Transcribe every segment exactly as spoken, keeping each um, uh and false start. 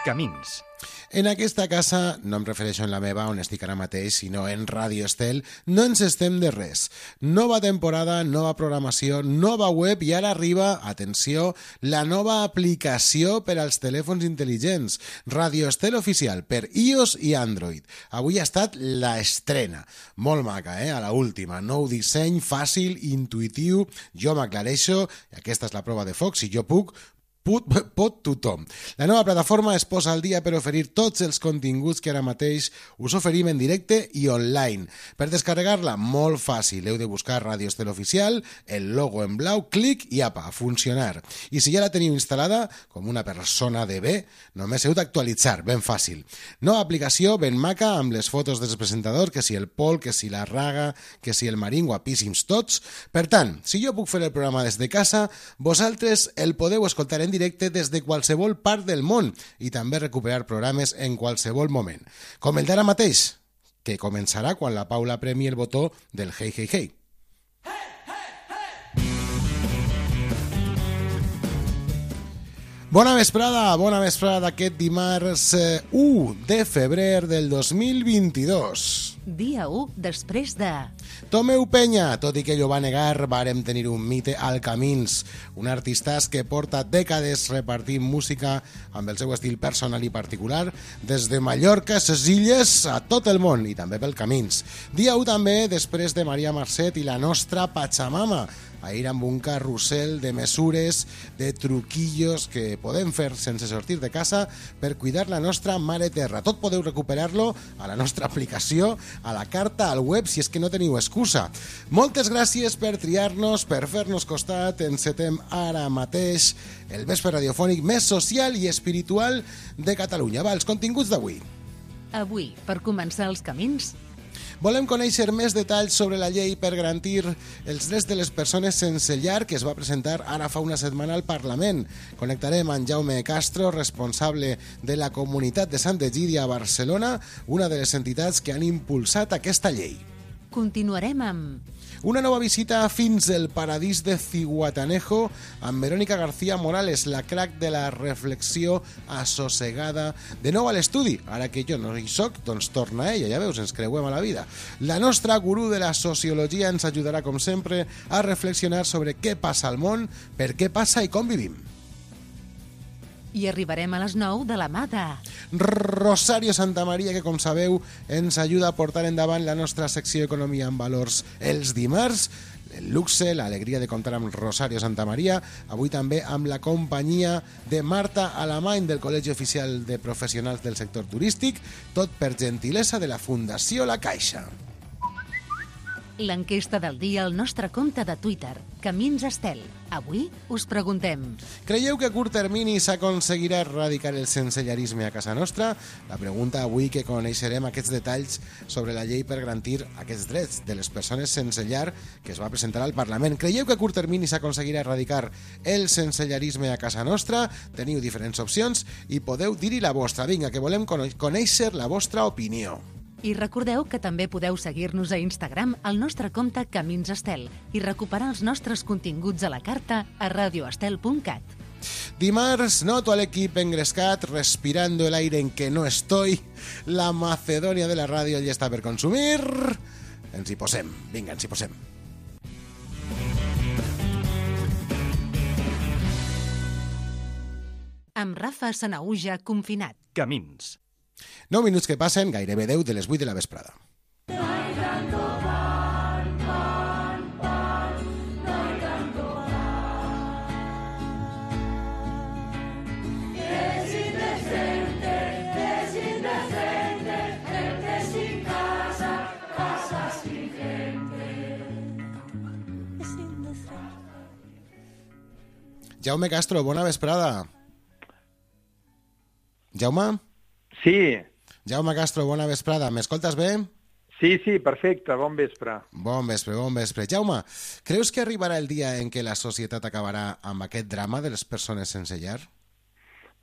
Camins. En aquesta casa, no em refereixo en la meva, on estic ara mateix, sinó en Ràdio Estel, no ens estem de res. Nova temporada, nova programació, nova web i ara arriba, atenció, la nova aplicació per als telèfons intel·ligents. Ràdio Estel oficial per iOS i Android. Avui ha estat la estrena. Molt maca, eh? A la última. Nou disseny, fàcil, intuïtiu. Jo m'aclareixo, i aquesta és la prova de foc, si jo puc, Pot, pot tothom. La nova plataforma es posa al dia per oferir tots els continguts que ara mateix us oferim en directe i online. Per descarregar-la, molt fàcil. Heu de buscar Ràdio Estel Oficial, el logo en blau, clic i apa, a funcionar. I si ja la teniu instal·lada, com una persona de bé, només heu d'actualitzar, ben fàcil. Nova aplicació, ben maca, amb les fotos dels presentadors, que si el Pol, que si la Raga, que si el Marín, guapíssims tots. Per tant, si jo puc fer el programa des de casa, vosaltres el podeu escoltar en directe des de qualsevol part del món i també recuperar programes en qualsevol moment. Com el d'ara mateix, que començarà quan la Paula premi el botó del Hey Hey Hey. Bona vesprada, bona vesprada d'aquest dimarts u de febrer del dos mil vint-i-dos. Dia u després de... Tomeu Penya, tot i que ell ho va negar, vàrem tenir un mite al Camins, un artistàs que porta dècades repartint música amb el seu estil personal i particular, des de Mallorca, ses illes, a tot el món, i també pel Camins. Dia u també després de Maria Marcet i la nostra Pachamama, ahir amb un carrusel de mesures, de truquillos que podem fer sense sortir de casa per cuidar la nostra mare terra. Tot podeu recuperar-lo a la nostra aplicació, a la carta, al web, si és que no teniu excusa. Moltes gràcies per triar-nos, per fer-nos costat. Encetem ara mateix el vespre radiofònic més social i espiritual de Catalunya. Va, els continguts d'avui. Avui, per començar els camins... Volem conèixer més detalls sobre la llei per garantir els drets de les persones sense llar que es va presentar ara fa una setmana al Parlament. Connectarem amb Jaume Castro, responsable de la comunitat de Sant Egidi a Barcelona, una de les entitats que han impulsat aquesta llei. Continuarem amb... Una nova visita fins al paradís de Zihuatanejo amb Verónica García Morales, la crac de la reflexió assossegada. De nou a l'estudi, ara que jo no hi soc, doncs torna ella, ja veus, ens creuem a la vida. La nostra gurú de la sociologia ens ajudarà, com sempre, a reflexionar sobre què passa al món, per què passa i com vivim. I arribarem a les nou de la mà de... Rosario Santamaría, que com sabeu ens ajuda a portar endavant la nostra secció Economia en Valors els dimarts. El luxe, l'alegria de comptar amb Rosario Santamaría, avui també amb la companyia de Marta Alamany del Col·legi Oficial de Professionals del Sector Turístic, tot per gentilesa de la Fundació La Caixa. L'enquesta del dia al nostre compte de Twitter, Camins Estel. Avui us preguntem... Creieu que a curt termini s'aconseguirà erradicar el sensellarisme a casa nostra? La pregunta avui que coneixerem aquests detalls sobre la llei per garantir aquests drets de les persones sense llar que es va presentar al Parlament. Creieu que a curt termini s'aconseguirà erradicar el sensellarisme a casa nostra? Teniu diferents opcions i podeu dir-hi la vostra. Vinga, que volem conèixer la vostra opinió. I recordeu que també podeu seguir-nos a Instagram al nostre compte Camins Estel i recuperar els nostres continguts a la carta a radioestel punt cat. Dimarts noto a l'equip engrescat, respirando el aire en que no estoy. La Macedònia de la ràdio ja està per consumir. Ens hi posem. Vinga, ens hi posem. Amb Rafa Sanahuja confinat. Camins. nou minuts que passen, gairebé deu de les vuit de la vesprada. Jaume Castro, bona vesprada. Jaume? Sí. Jaume Castro, bona vesprada. M'escoltes bé? Sí, sí, perfecte. Bon vespre. Bon vespre, bon vespre. Jaume, creus que arribarà el dia en què la societat acabarà amb aquest drama de les persones sense llar?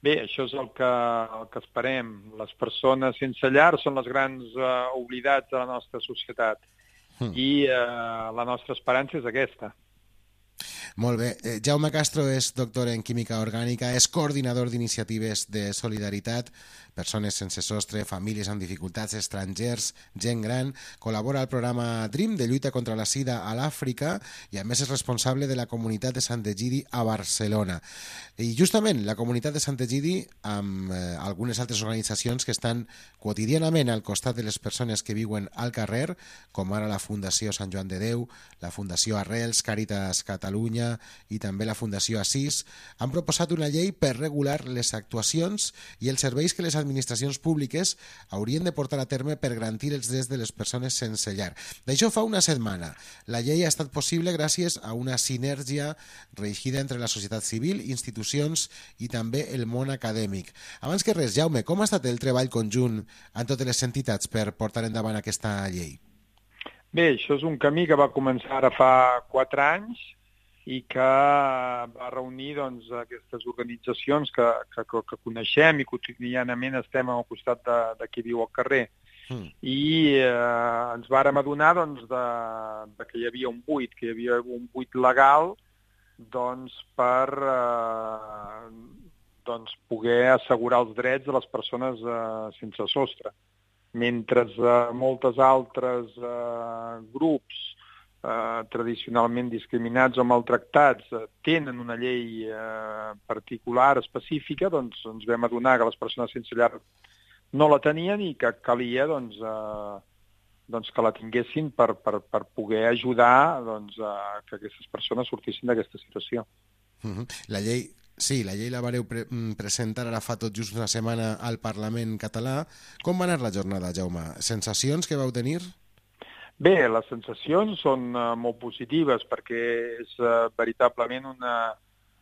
Bé, això és el que, el que esperem. Les persones sense llar són les grans uh, oblidats de la nostra societat. Mm. I uh, la nostra esperança és aquesta. Molt bé. Eh, Jaume Castro és doctor en Química Orgànica, és coordinador d'iniciatives de solidaritat, persones sense sostre, famílies amb dificultats, estrangers, gent gran, col·labora al programa DREAM de lluita contra la sida a l'Àfrica i a més és responsable de la comunitat de Sant Egidi a Barcelona. I justament la comunitat de Sant Egidi, amb eh, algunes altres organitzacions que estan quotidianament al costat de les persones que viuen al carrer, com ara la Fundació Sant Joan de Déu, la Fundació Arrels, Càritas Catalunya i també la Fundació Assís, han proposat una llei per regular les actuacions i els serveis que les administracions públiques haurien de portar a terme per garantir els drets de les persones sense llar. D'això fa una setmana. La llei ha estat possible gràcies a una sinergia reeixida entre la societat civil, institucions i també el món acadèmic. Abans que res, Jaume, com ha estat el treball conjunt en totes les entitats per portar endavant aquesta llei? Bé, això és un camí que va començar ara fa quatre anys i que va reunir doncs, aquestes organitzacions que, que, que coneixem i quotidianament estem al costat de, de qui viu al carrer. Mm. I eh, ens vàrem adonar doncs, de, de que hi havia un buit, que hi havia un buit legal doncs, per eh, doncs, poder assegurar els drets de les persones eh, sense sostre. Mentre eh, moltes altres eh, grups Eh, tradicionalment discriminats o maltractats eh, tenen una llei eh, particular, específica, doncs ens vam adonar que les persones sense llar no la tenien i que calia doncs, eh, doncs que la tinguessin per, per, per poder ajudar doncs, a que aquestes persones sortissin d'aquesta situació. Uh-huh. La llei Sí, la llei la vareu pre presentar ara fa tot just una setmana al Parlament català. Com va anar la jornada, Jaume? Sensacions que vau tenir? Bé, les sensacions són uh, molt positives perquè és uh, veritablement una,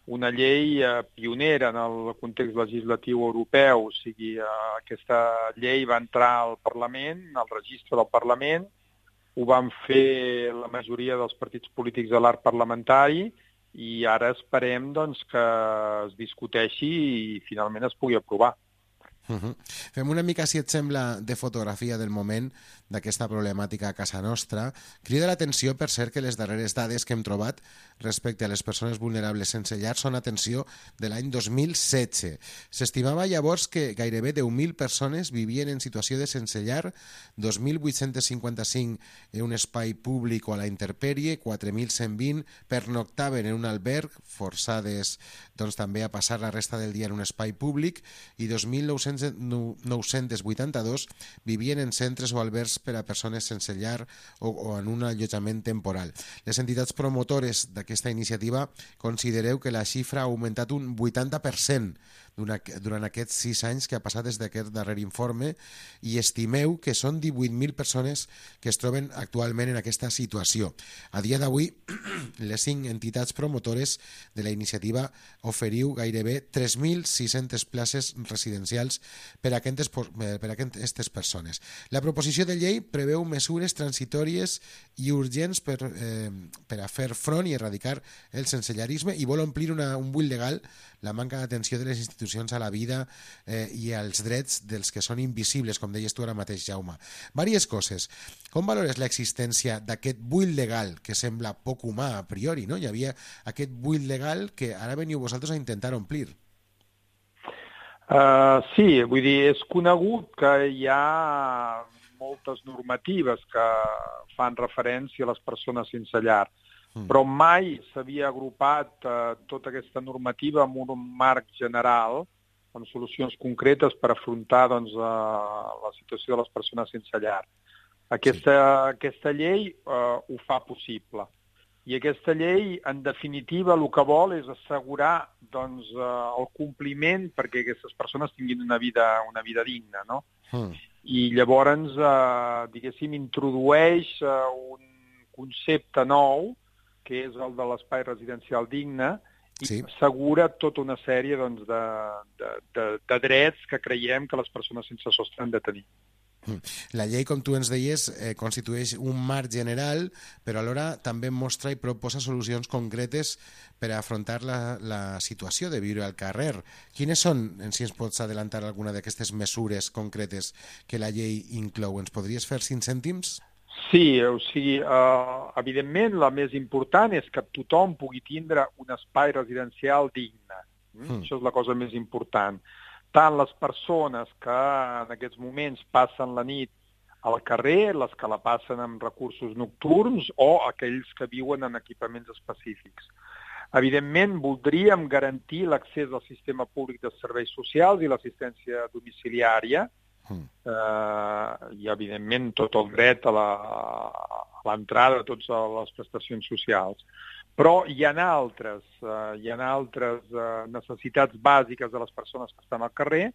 una llei uh, pionera en el context legislatiu europeu. O sigui, uh, aquesta llei va entrar al Parlament, al registre del Parlament, ho van fer la majoria dels partits polítics de l'arc parlamentari i ara esperem doncs, que es discuteixi i finalment es pugui aprovar. Uh-huh. Fem una mica, si et sembla, de fotografia del moment d'aquesta problemàtica a casa nostra. Crida l'atenció, per cert, que les darreres dades que hem trobat respecte a les persones vulnerables sense llar són, atenció, de l'any dos mil setze. S'estimava llavors que gairebé deu mil persones vivien en situació de sense llar, dos mil vuit-cents cinquanta-cinc en un espai públic o a la intempèrie, quatre mil cent vint pernoctaven en un alberg, forçades doncs, també a passar la resta del dia en un espai públic, i dos mil nou-cents vuitanta-dos vivien en centres o albergs per a persones sense llar o, o en un allotjament temporal. Les entitats promotores d'aquesta iniciativa considereu que la xifra ha augmentat un vuitanta per cent durant aquests sis anys que ha passat des d'aquest darrer informe i estimeu que són divuit mil persones que es troben actualment en aquesta situació. A dia d'avui, les cinc entitats promotores de la iniciativa oferiu gairebé tres mil sis-centes places residencials per a aquestes, per a aquestes persones. La proposició de llei preveu mesures transitòries i urgents per, eh, per a fer front i erradicar el sensellarisme i vol omplir una, un buit legal, la manca d'atenció de les institucions a la vida eh, i als drets dels que són invisibles, com deies tu ara mateix, Jaume. Vàries coses. Com valores l'existència d'aquest buit legal que sembla poc humà a priori, no? Hi havia aquest buit legal que ara veniu vosaltres a intentar omplir. Uh, sí, vull dir, és conegut que hi ha moltes normatives que fan referència a les persones sense llar, però mai s'havia agrupat eh, tota aquesta normativa en un marc general, amb solucions concretes per afrontar doncs, eh, la situació de les persones sense llar. Aquesta, sí. aquesta llei eh, ho fa possible. I aquesta llei, en definitiva, el que vol és assegurar doncs, eh, el compliment perquè aquestes persones tinguin una vida, una vida digna, no? Mm. I llavors, eh, diguéssim, introdueix eh, un concepte nou, que és el de l'espai residencial digne, i sí. assegura tota una sèrie doncs, de, de, de, de drets que creiem que les persones sense sostre han de tenir. La llei, com tu ens deies, eh, constitueix un marc general, però alhora també mostra i proposa solucions concretes per a afrontar la, la situació de viure al carrer. Quines són, si ens pots adelantar alguna d'aquestes mesures concretes que la llei inclou? Ens podries fer cinc cèntims? Sí, o sigui, uh, evidentment la més important és que tothom pugui tindre un espai residencial digne. Mm? Mm. Això és la cosa més important. Tant les persones que en aquests moments passen la nit al carrer, les que la passen amb recursos nocturns o aquells que viuen en equipaments específics. Evidentment, voldríem garantir l'accés al sistema públic de serveis socials i l'assistència domiciliària, mm. eh, i, evidentment, tot el dret a l'entrada de totes les prestacions socials. Però hi ha altres, eh, hi ha altres eh, necessitats bàsiques de les persones que estan al carrer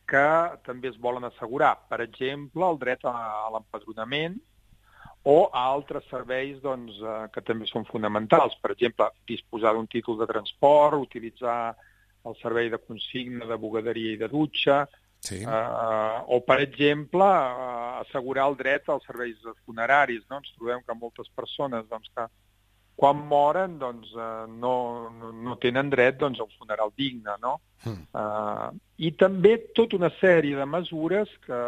que també es volen assegurar. Per exemple, el dret a, a l'empadronament o a altres serveis doncs, eh, que també són fonamentals. Per exemple, disposar d'un títol de transport, utilitzar el servei de consigna, de bugaderia i de dutxa, sí. eh, o, per exemple, eh, assegurar el dret als serveis funeraris. No? Ens trobem que moltes persones doncs, que quan moren doncs, eh, no, no, no tenen dret doncs, a un funeral digne. No? Mm. Eh, I també tota una sèrie de mesures que,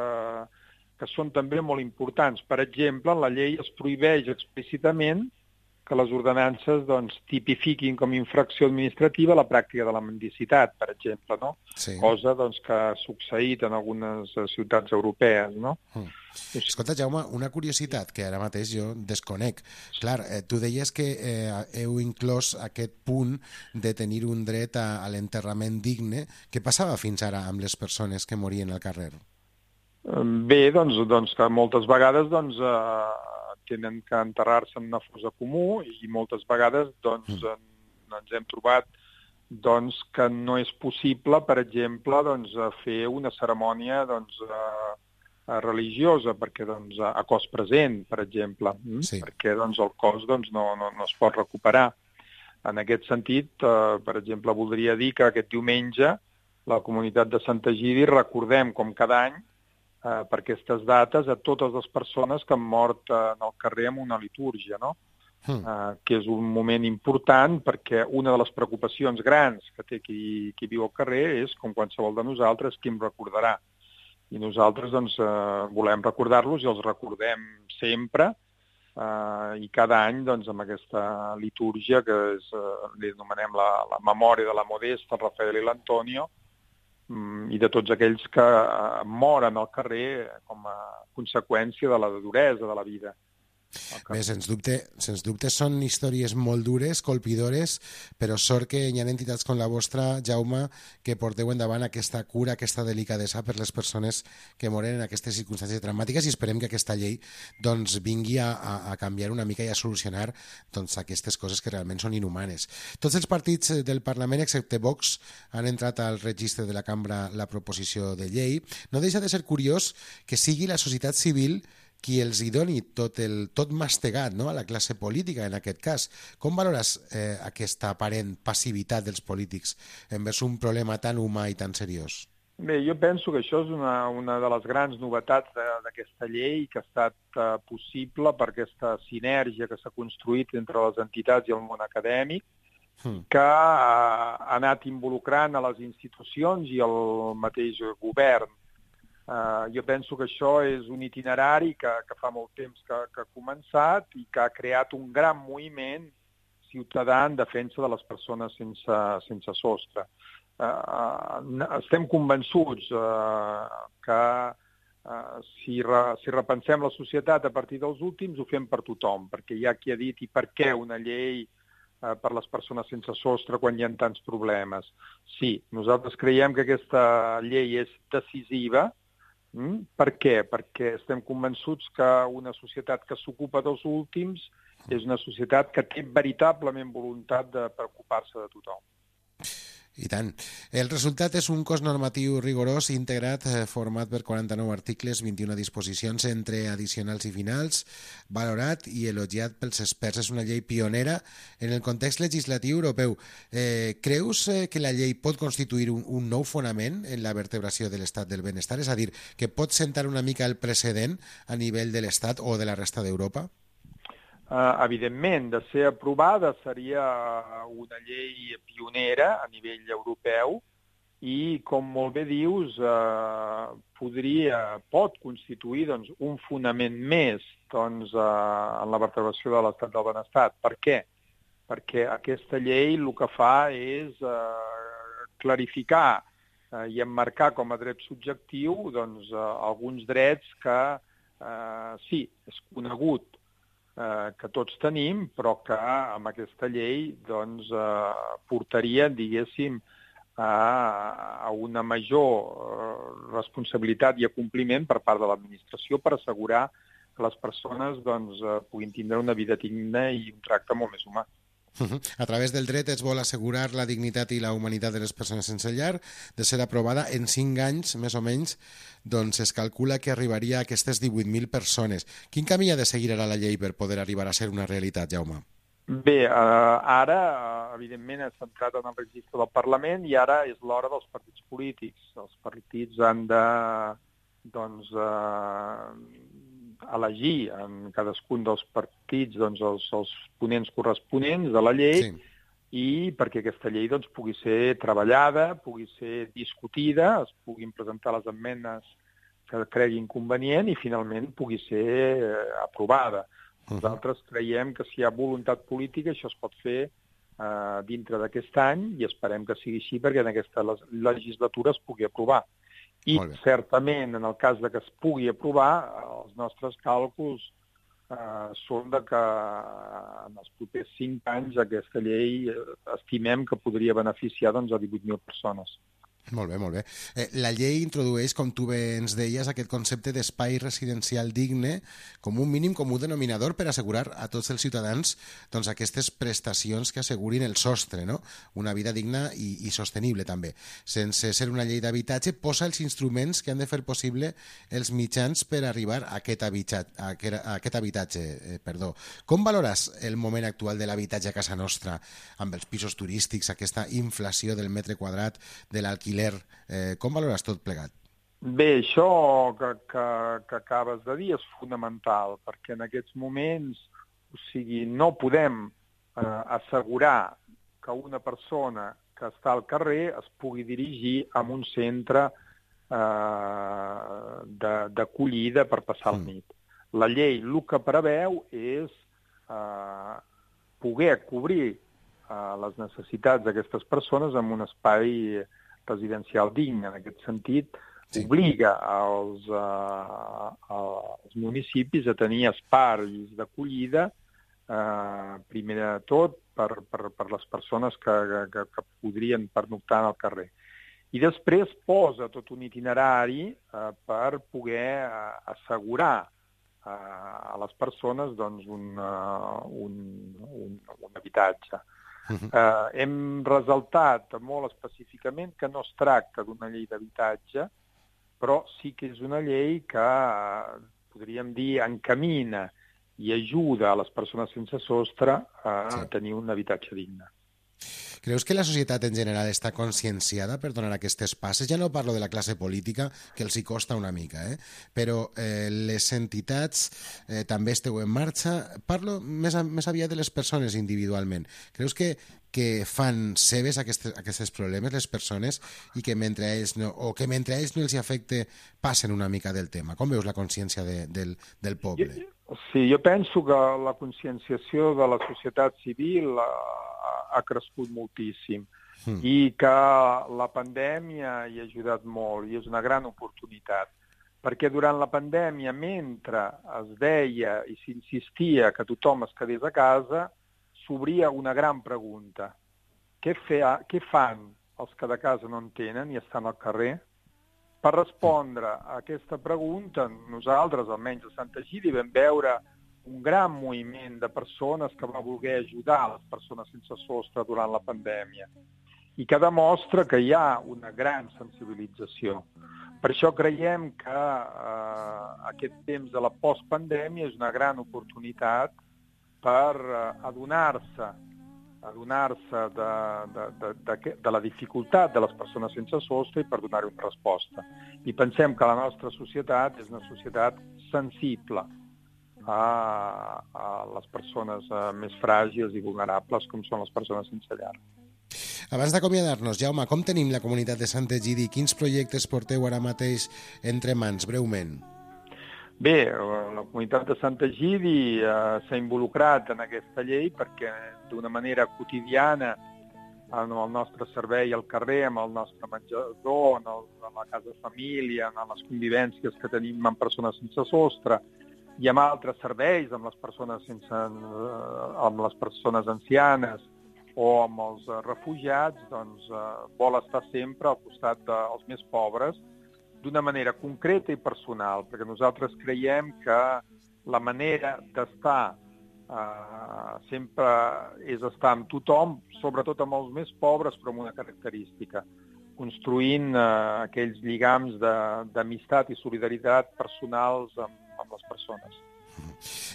que són també molt importants. Per exemple, en la llei es prohibeix explícitament que les ordenances doncs, tipifiquin com a infracció administrativa la pràctica de la mendicitat, per exemple, no? Sí. Cosa doncs, que ha succeït en algunes ciutats europees. No? Mm. Escolta, Jaume, una curiositat que ara mateix jo desconec. Clar, eh, tu deies que eh, heu inclòs aquest punt de tenir un dret a, a l'enterrament digne. Què passava fins ara amb les persones que morien al carrer? Bé, doncs, doncs que moltes vegades doncs, eh, tenen que enterrar-se en una fossa comú i moltes vegades doncs, mm. ens hem trobat doncs, que no és possible, per exemple, doncs, fer una cerimònia doncs, eh, religiosa, perquè doncs, a cos present, per exemple, sí. perquè doncs, el cos doncs, no, no, no es pot recuperar. En aquest sentit, eh, per exemple, voldria dir que aquest diumenge la comunitat de Sant Egidi recordem, com cada any, eh, per aquestes dates, a totes les persones que han mort eh, en el carrer amb una litúrgia, no? Mm. Eh, que és un moment important perquè una de les preocupacions grans que té qui, qui viu al carrer és, com qualsevol de nosaltres, qui em recordarà. I nosaltres doncs, eh, volem recordar-los i els recordem sempre eh, i cada any doncs, amb aquesta litúrgia que és, eh, li anomenem la, la memòria de la Modesta, el Rafael i l'Antonio, mm, i de tots aquells que eh, moren al carrer com a conseqüència de la duresa de la vida. Bé, sens dubte, sens dubte són històries molt dures, colpidores, però sort que hi ha entitats com la vostra, Jaume, que porteu endavant aquesta cura, aquesta delicadesa per les persones que moren en aquestes circumstàncies traumàtiques i esperem que aquesta llei doncs, vingui a, a canviar una mica i a solucionar doncs, aquestes coses que realment són inhumanes. Tots els partits del Parlament, excepte Vox, han entrat al registre de la cambra la proposició de llei. No deixa de ser curiós que sigui la societat civil qui els hi doni tot, el, tot mastegat, no?, a la classe política, en aquest cas. Com valores eh, aquesta aparent passivitat dels polítics envers un problema tan humà i tan seriós? Bé, jo penso que això és una, una de les grans novetats d'aquesta llei que ha estat uh, possible per aquesta sinergia que s'ha construït entre les entitats i el món acadèmic, hmm. que uh, ha anat involucrant a les institucions i el mateix govern. Uh, jo penso que això és un itinerari que, que fa molt temps que, que ha començat i que ha creat un gran moviment ciutadà en defensa de les persones sense, sense sostre. Uh, estem convençuts uh, que uh, si, re, si repensem la societat a partir dels últims ho fem per tothom, perquè hi ha qui ha dit i per què una llei uh, per les persones sense sostre quan hi ha tants problemes. Sí, nosaltres creiem que aquesta llei és decisiva. Mm? Per què? Perquè estem convençuts que una societat que s'ocupa dels últims és una societat que té veritablement voluntat de preocupar-se de tothom. I tant. El resultat és un cos normatiu rigorós, integrat, format per quaranta-nou articles, vint-i-una disposicions entre addicionals i finals, valorat i elogiat pels experts. És una llei pionera en el context legislatiu europeu. Eh, creus que la llei pot constituir un, un nou fonament en la vertebració de l'estat del benestar? És a dir, que pot sentar una mica el precedent a nivell de l'estat o de la resta d'Europa? Uh, evidentment, de ser aprovada seria una llei pionera a nivell europeu i, com molt bé dius, eh, podria, pot constituir doncs, un fonament més doncs, eh, en la vertebració de l'estat del benestar. Per què? Perquè aquesta llei el que fa és eh, clarificar eh, i emmarcar com a dret subjectiu doncs, eh, alguns drets que, eh, sí, és conegut eh, que tots tenim, però que amb aquesta llei doncs, eh, portaria, diguéssim, a, a una major eh, responsabilitat i acompliment per part de l'administració per assegurar que les persones doncs, eh, puguin tindre una vida digna i un tracte molt més humà. A través del dret es vol assegurar la dignitat i la humanitat de les persones sense llar. De ser aprovada en cinc anys, més o menys, doncs es calcula que arribaria a aquestes divuit mil persones. Quin camí ha de seguir ara la llei per poder arribar a ser una realitat, Jaume? Bé, eh, ara, evidentment, és centrat en el registre del Parlament i ara és l'hora dels partits polítics. Els partits han de doncs, eh, elegir en cadascun dels partits doncs, els, els ponents corresponents de la llei sí. I perquè aquesta llei doncs, pugui ser treballada, pugui ser discutida, es puguin presentar les esmenes que creguin convenient i finalment pugui ser eh, aprovada. Nosaltres creiem que si hi ha voluntat política això es pot fer eh, dintre d'aquest any i esperem que sigui així perquè en aquesta legislatura es pugui aprovar. I certament, en el cas de que es pugui aprovar, els nostres càlculs eh, són de que en els propers cinc anys aquesta llei eh, estimem que podria beneficiar doncs, a divuit mil persones. Molt bé, molt bé. Eh, la llei introdueix, com tu bé ens deies, aquest concepte d'espai residencial digne com un mínim comú denominador per assegurar a tots els ciutadans doncs, aquestes prestacions que assegurin el sostre, no? Una vida digna i, i sostenible també. Sense ser una llei d'habitatge, posa els instruments que han de fer possible els mitjans per arribar a aquest, habitat, a aquest, a aquest habitatge. Eh, perdó. Com valores el moment actual de l'habitatge a casa nostra amb els pisos turístics, aquesta inflació del metre quadrat de l'alquiler? Eh, com valores tot plegat? Bé, això que, que, que acabes de dir és fonamental, perquè en aquests moments, o sigui, no podem eh, assegurar que una persona que està al carrer es pugui dirigir a un centre eh, d'acollida per passar la nit. La llei el que preveu és eh, poder cobrir eh, les necessitats d'aquestes persones en un espai residencial digne. En aquest sentit, sí. Obliga als, uh, als municipis a tenir espais d'acollida, uh, primer de tot, per, per, per les persones que, que, que podrien pernoctar al carrer. I després posa tot un itinerari uh, per poder uh, assegurar uh, a les persones doncs, un, uh, un, un, un habitatge. Uh-huh. Uh, hem resaltat molt específicament que no es tracta d'una llei d'habitatge, però sí que és una llei que, uh, podríem dir, encamina i ajuda a les persones sense sostre a sí. tenir un habitatge digne. Creus que la societat en general està conscienciada per donar aquestes passes? Ja no parlo de la classe política, que els hi costa una mica, eh? però eh, les entitats eh, també esteu en marxa. Parlo més, a, més aviat de les persones individualment. Creus que, que fan seves aquestes, aquests problemes les persones i que mentre a ells no, o que mentre a ells no els afecte passen una mica del tema? Com veus la consciència de, del, del poble? Sí, jo penso que la conscienciació de la societat civil ha, ha crescut moltíssim mm. i que la pandèmia hi ha ajudat molt i és una gran oportunitat. Perquè durant la pandèmia, mentre es deia i s'insistia que tothom es quedés a casa, s'obria una gran pregunta. Què, fe, què fan els que de casa no en tenen i estan al carrer? Per respondre a aquesta pregunta, nosaltres, almenys a Santa Egidi, vam veure un gran moviment de persones que va voler ajudar les persones sense sostre durant la pandèmia i que demostra que hi ha una gran sensibilització. Per això creiem que eh, aquest temps de la postpandèmia és una gran oportunitat per eh, adonar-se adonar-se de, de, de, de, de la dificultat de les persones sense sostre i per donar-hi una resposta. I pensem que la nostra societat és una societat sensible a, a les persones uh, més fràgils i vulnerables com són les persones sense llar. Abans d'acomiadar-nos, Jaume, com tenim la comunitat de Sant Egidi? Quins projectes porteu ara mateix entre mans, breument? Bé, la comunitat de Sant Egidi eh, s'ha involucrat en aquesta llei perquè d'una manera quotidiana en el nostre servei al carrer, amb el nostre menjador, en, el, en la casa de família, en les convivències que tenim amb persones sense sostre i amb altres serveis, amb les persones, sense, amb les persones ancianes, o amb els refugiats, doncs eh, vol estar sempre al costat dels més pobres d'una manera concreta i personal, perquè nosaltres creiem que la manera d'estar eh, sempre és estar amb tothom, sobretot amb els més pobres, però amb una característica, construint eh, aquells lligams d'amistat i solidaritat personals amb, amb les persones.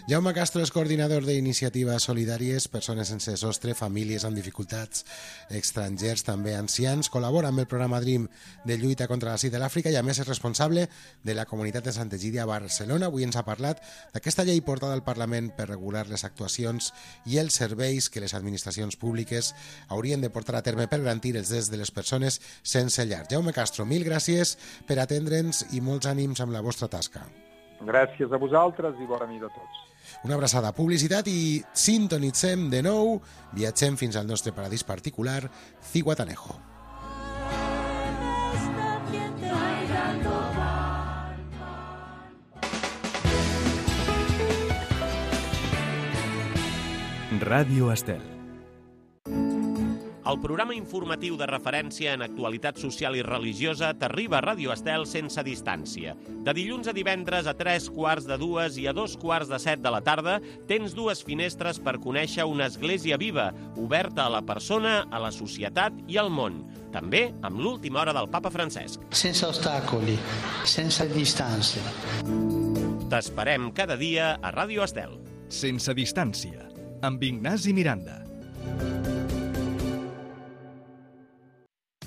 Jaume Castro és coordinador d'iniciatives solidàries, persones sense sostre, famílies amb dificultats, estrangers, també ancians. Col·labora amb el programa Dream de lluita contra la sida a l'Àfrica i a més és responsable de la comunitat de Sant Egidi a Barcelona. Avui ens ha parlat d'aquesta llei portada al Parlament per regular les actuacions i els serveis que les administracions públiques haurien de portar a terme per garantir els drets de les persones sense llar. Jaume Castro, mil gràcies per atendre'ns i molts ànims amb la vostra tasca. Gràcies a vosaltres i bona nit a tots. Una abraçada, publicitat i sintonitzem de nou, viatgem fins al nostre paradís particular, Zihuatanejo. Ràdio Estel. El programa informatiu de referència en actualitat social i religiosa t'arriba a Ràdio Estel sense distància. De dilluns a divendres a tres quarts de dues i a dos quarts de set de la tarda tens dues finestres per conèixer una església viva, oberta a la persona, a la societat i al món. També amb l'última hora del papa Francesc. Sense ostacoli, sense distància. T'esperem cada dia a Ràdio Estel. Sense distància, amb Ignasi Miranda.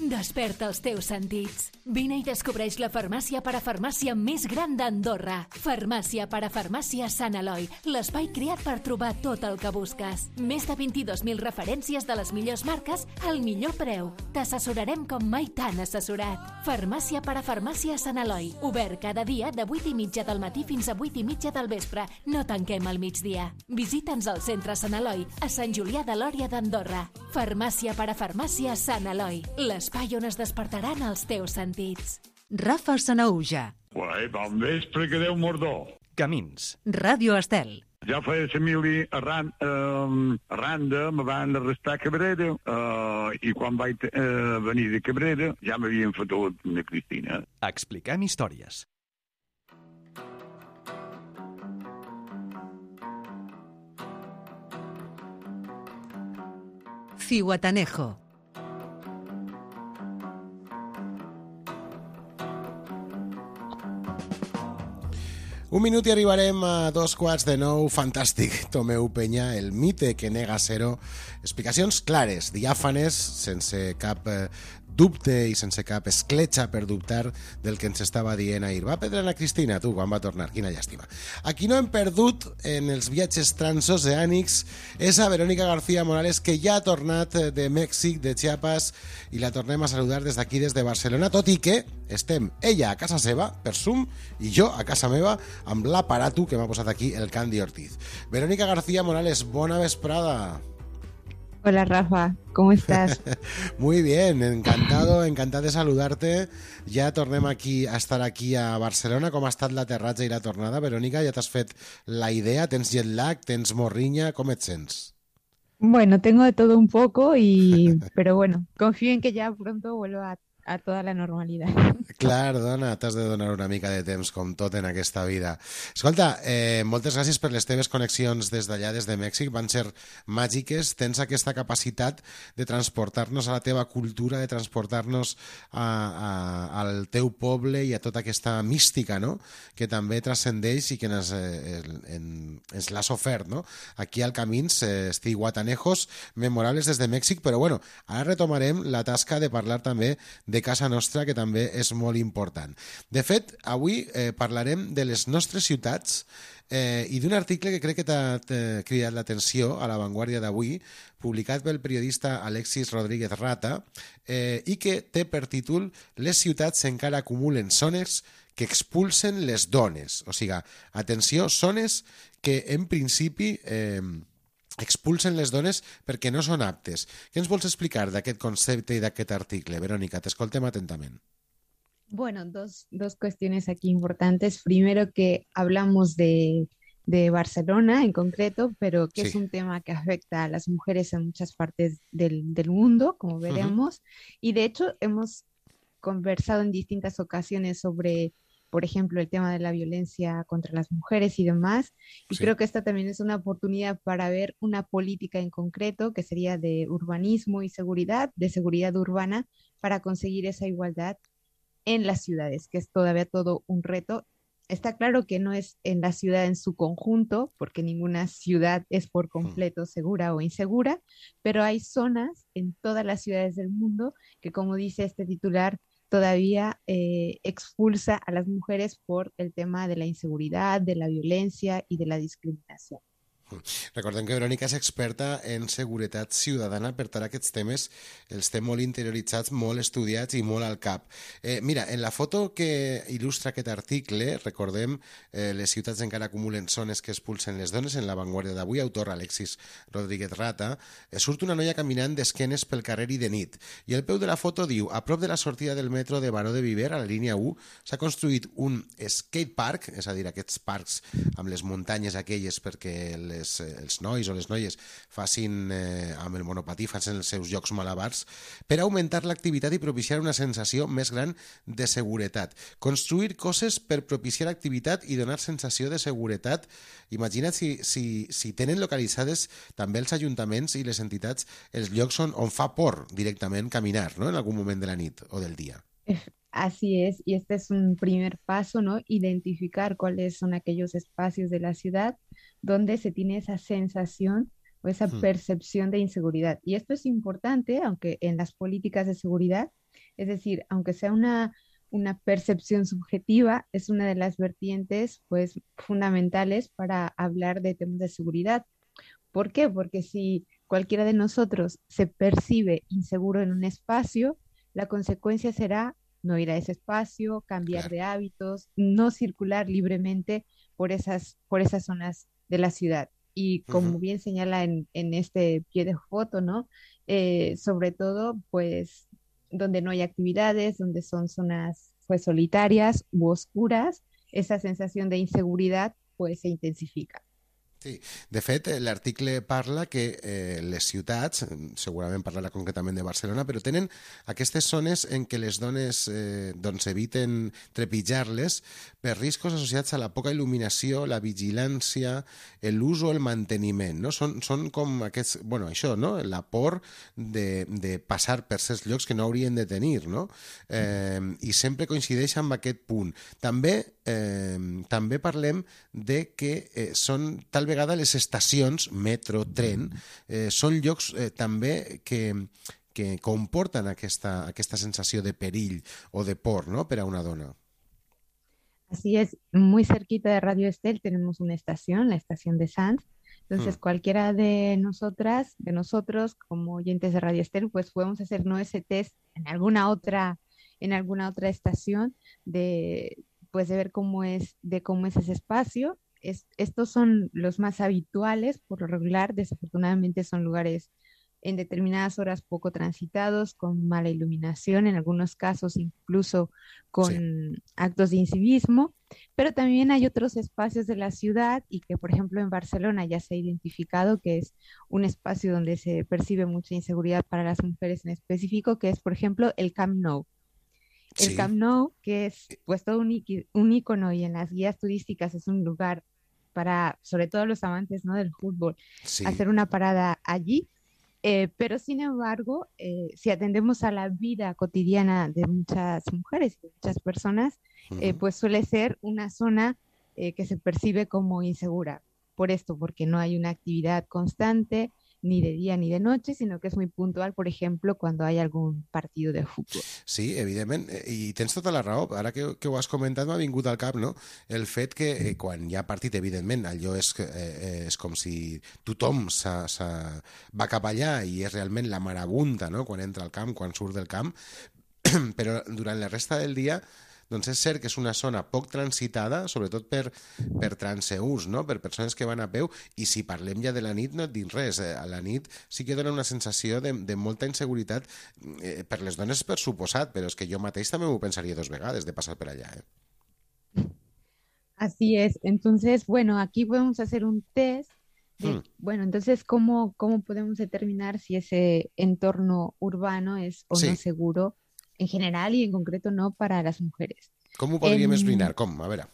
Desperta els teus sentits. Vine i descobreix la farmàcia parafarmàcia més gran d'Andorra. Farmàcia parafarmàcia Sant Eloi, l'espai creat per trobar tot el que busques. Més de vint-i-dos mil referències de les millors marques al millor preu. T'assessorarem com mai t'han assessorat. Farmàcia parafarmàcia Sant Eloi, obert cada dia de vuit i mitja del matí fins a vuit i mitja del vespre. No tanquem al migdia. Visita'ns al centre Sant Eloi, a Sant Julià de Lòria d'Andorra. Farmàcia parafarmàcia Sant Eloi, l'espai on es despertaran els teus sentits. Rafa Sanauja. Uai, bon vespre, que Déu mordó. Camins. Ràdio Estel. Ja feia la mili arran, eh, arranda, me van arrestar a Cabrera, eh, i quan vaig eh, venir de Cabrera ja m'havien fotut una Cristina. Explicant històries. Zihuatanejo. Un minut i arribarem a dos quarts de nou. Fantàstic, Tomeu Peña, el mite que nega Cero. Explicacions clares, diàfanes, sense cap eh, dubte i sense cap escletxa per dubtar del que ens estava dient ahir. Va perdre la Cristina, tu, quan va tornar. Quina llàstima. A qui no hem perdut en els viatges transoceànics és a Verónica García Morales, que ja ha tornat de Mèxic, de Chiapas, i la tornem a saludar des d'aquí, des de Barcelona, tot i que estem ella a casa seva, per Zoom, i jo a casa meva, amb l'aparato que m'ha posat aquí el Candy Ortiz. Verónica García Morales, bona vesprada. Hola Rafa, ¿cómo estás? Muy bien, encantado, encantado de saludarte. Ja tornem aquí a estar aquí a Barcelona. Com ha estat l'aterratge i la tornada, Verónica? Ja t'has fet la idea? Tens jet lag? Tens morriña? Com et sents? Bueno, tengo de todo un poco, y pero bueno, confío en que ya pronto vuelva a a toda la normalidad. Clar, dona, t'has de donar una mica de temps, com tot en aquesta vida. Escolta, eh, moltes gràcies per les teves connexions des d'allà, des de Mèxic, van ser màgiques. Tens aquesta capacitat de transportar-nos a la teva cultura, de transportar-nos a, a, al teu poble i a tota aquesta mística, no?, que també transcendeix i que ens, eh, en, ens l'has ofert, no?, aquí al Camins, eh, Zihuatanejos memorables des de Mèxic, però bueno, ara retomarem la tasca de parlar també de de casa nostra, que també és molt important. De fet, avui eh, parlarem de les nostres ciutats eh, i d'un article que crec que t'ha cridat l'atenció a La Vanguardia d'avui, publicat pel periodista Alexis Rodríguez Rata, eh, i que té per títol «Les ciutats encara acumulen zones que expulsen les dones». O sigui, atenció, zones que en principi eh, expulsen les dones perquè no són aptes. Què ens vols explicar d'aquest concepte i d'aquest article? Verónica, t'escoltem atentament. Bueno, dos, dos cuestiones aquí importantes. Primero, que hablamos de, de Barcelona en concreto, pero que sí. Es un tema que afecta a las mujeres en muchas partes del, del mundo, como veremos. Uh-huh. Y de hecho hemos conversado en distintas ocasiones sobre, por ejemplo, el tema de la violencia contra las mujeres y demás. Y sí. Creo que esta también es una oportunidad para ver una política en concreto, que sería de urbanismo y seguridad, de seguridad urbana, para conseguir esa igualdad en las ciudades, que es todavía todo un reto. Está claro que no es en la ciudad en su conjunto, porque ninguna ciudad es por completo segura o insegura, pero hay zonas en todas las ciudades del mundo que, como dice este titular, todavía eh, expulsa a las mujeres por el tema de la inseguridad, de la violencia y de la discriminación. Recordem que Verònica és experta en seguretat ciutadana, per tant aquests temes els té molt interioritzats, molt estudiats i molt al cap. Eh, mira, en la foto que il·lustra aquest article, recordem, eh, les ciutats encara acumulen zones que expulsen les dones, en La Vanguardia d'avui, autor Alexis Rodríguez Rata, eh, surt una noia caminant d'esquenes pel carrer i de nit, i el peu de la foto diu: a prop de la sortida del metro de Baró de Viver, a la línia u, s'ha construït un skatepark, és a dir, aquests parcs amb les muntanyes aquelles perquè les Les, els nois o les noies facin eh, amb el monopatí, facin els seus jocs malabars, per augmentar l'activitat i propiciar una sensació més gran de seguretat. Construir coses per propiciar activitat i donar sensació de seguretat. Imagina't si, si, si tenen localitzades també els ajuntaments i les entitats els llocs on, on fa por directament caminar, ¿no?, en algun moment de la nit o del dia. Así es, y este es un primer paso, ¿no? Identificar cuáles son aquellos espacios de la ciudad donde se tiene esa sensación o esa hmm. percepción de inseguridad. Y esto es importante, aunque en las políticas de seguridad, es decir, aunque sea una, una percepción subjetiva, es una de las vertientes, pues, fundamentales para hablar de temas de seguridad. ¿Por qué? Porque si cualquiera de nosotros se percibe inseguro en un espacio, la consecuencia será no ir a ese espacio, cambiar claro. de hábitos, no circular libremente por esas, por esas zonas de la ciudad. Y como uh-huh. bien señala en, en este pie de foto, ¿no? Eh, sobre todo, pues, donde no hay actividades, donde son zonas, pues, solitarias u oscuras, esa sensación de inseguridad, pues, se intensifica. Sí, de fet, l'article parla que eh, les ciutats, segurament parlarà concretament de Barcelona, però tenen aquestes zones en què les dones eh, doncs eviten trepitjar-les per riscos associats a la poca il·luminació, la vigilància, l'ús o el manteniment, no? Són, són com aquests, bueno, això, no? La por de, de passar per certs llocs que no haurien de tenir, no? Eh, I sempre coincideix amb aquest punt. També, eh, també parlem de que eh, són tal vegada les estacions, metro, tren, eh, són llocs eh, també que, que comporten aquesta, aquesta sensació de perill o de por, ¿no?, per a una dona. Así es, muy cerquita de Radio Estel tenemos una estación, la estación de Sants. Entonces, hmm. cualquiera de nosotras, de nosotros, como oyentes de Radio Estel, pues podemos hacer ¿no? ese test en alguna otra, en alguna otra estación de, pues, de ver cómo es, de cómo es ese espacio. Es, estos son los más habituales, por lo regular. Desafortunadamente son lugares en determinadas horas poco transitados, con mala iluminación, en algunos casos incluso con sí. actos de incivismo, pero también hay otros espacios de la ciudad y que, por ejemplo, en Barcelona ya se ha identificado que es un espacio donde se percibe mucha inseguridad para las mujeres en específico, que es, por ejemplo, el Camp Nou. El sí. Camp Nou, que es pues todo un, un ícono y en las guías turísticas es un lugar para, sobre todo los amantes ¿no? del fútbol, sí. hacer una parada allí. Eh, pero sin embargo, eh, si atendemos a la vida cotidiana de muchas mujeres y de muchas personas, uh-huh. eh, pues suele ser una zona eh, que se percibe como insegura. Por esto, porque no hay una actividad constante, ni de día ni de noche, sino que es muy puntual, por ejemplo, cuando hay algún partido de fútbol. Sí, evidentment, i tens tota la raó. Ara que, que ho has comentat m'ha vingut al cap, no? El fet que eh, quan hi ha partit, evidentment, allò és, eh, és com si tothom sa, sa, va cap allà i és realment la marabunta, no?, quan entra al camp, quan surt del camp, però durant la resta del dia doncs és cert que és una zona poc transitada, sobretot per, per transeús, no? Per persones que van a peu, i si parlem ja de la nit no et dic res, a la nit sí que dona una sensació de, de molta inseguretat eh, per les dones per suposat, però és que jo mateix també m'ho pensaria dos vegades de passar per allà. Eh? Así es, entonces, bueno, aquí podemos hacer un test de, hmm. bueno, entonces, ¿cómo, ¿cómo podemos determinar si ese entorno urbano es o sí. no seguro? En general y en concreto no para las mujeres. ¿Cómo podríem esbrinar? ¿Cómo? A ver.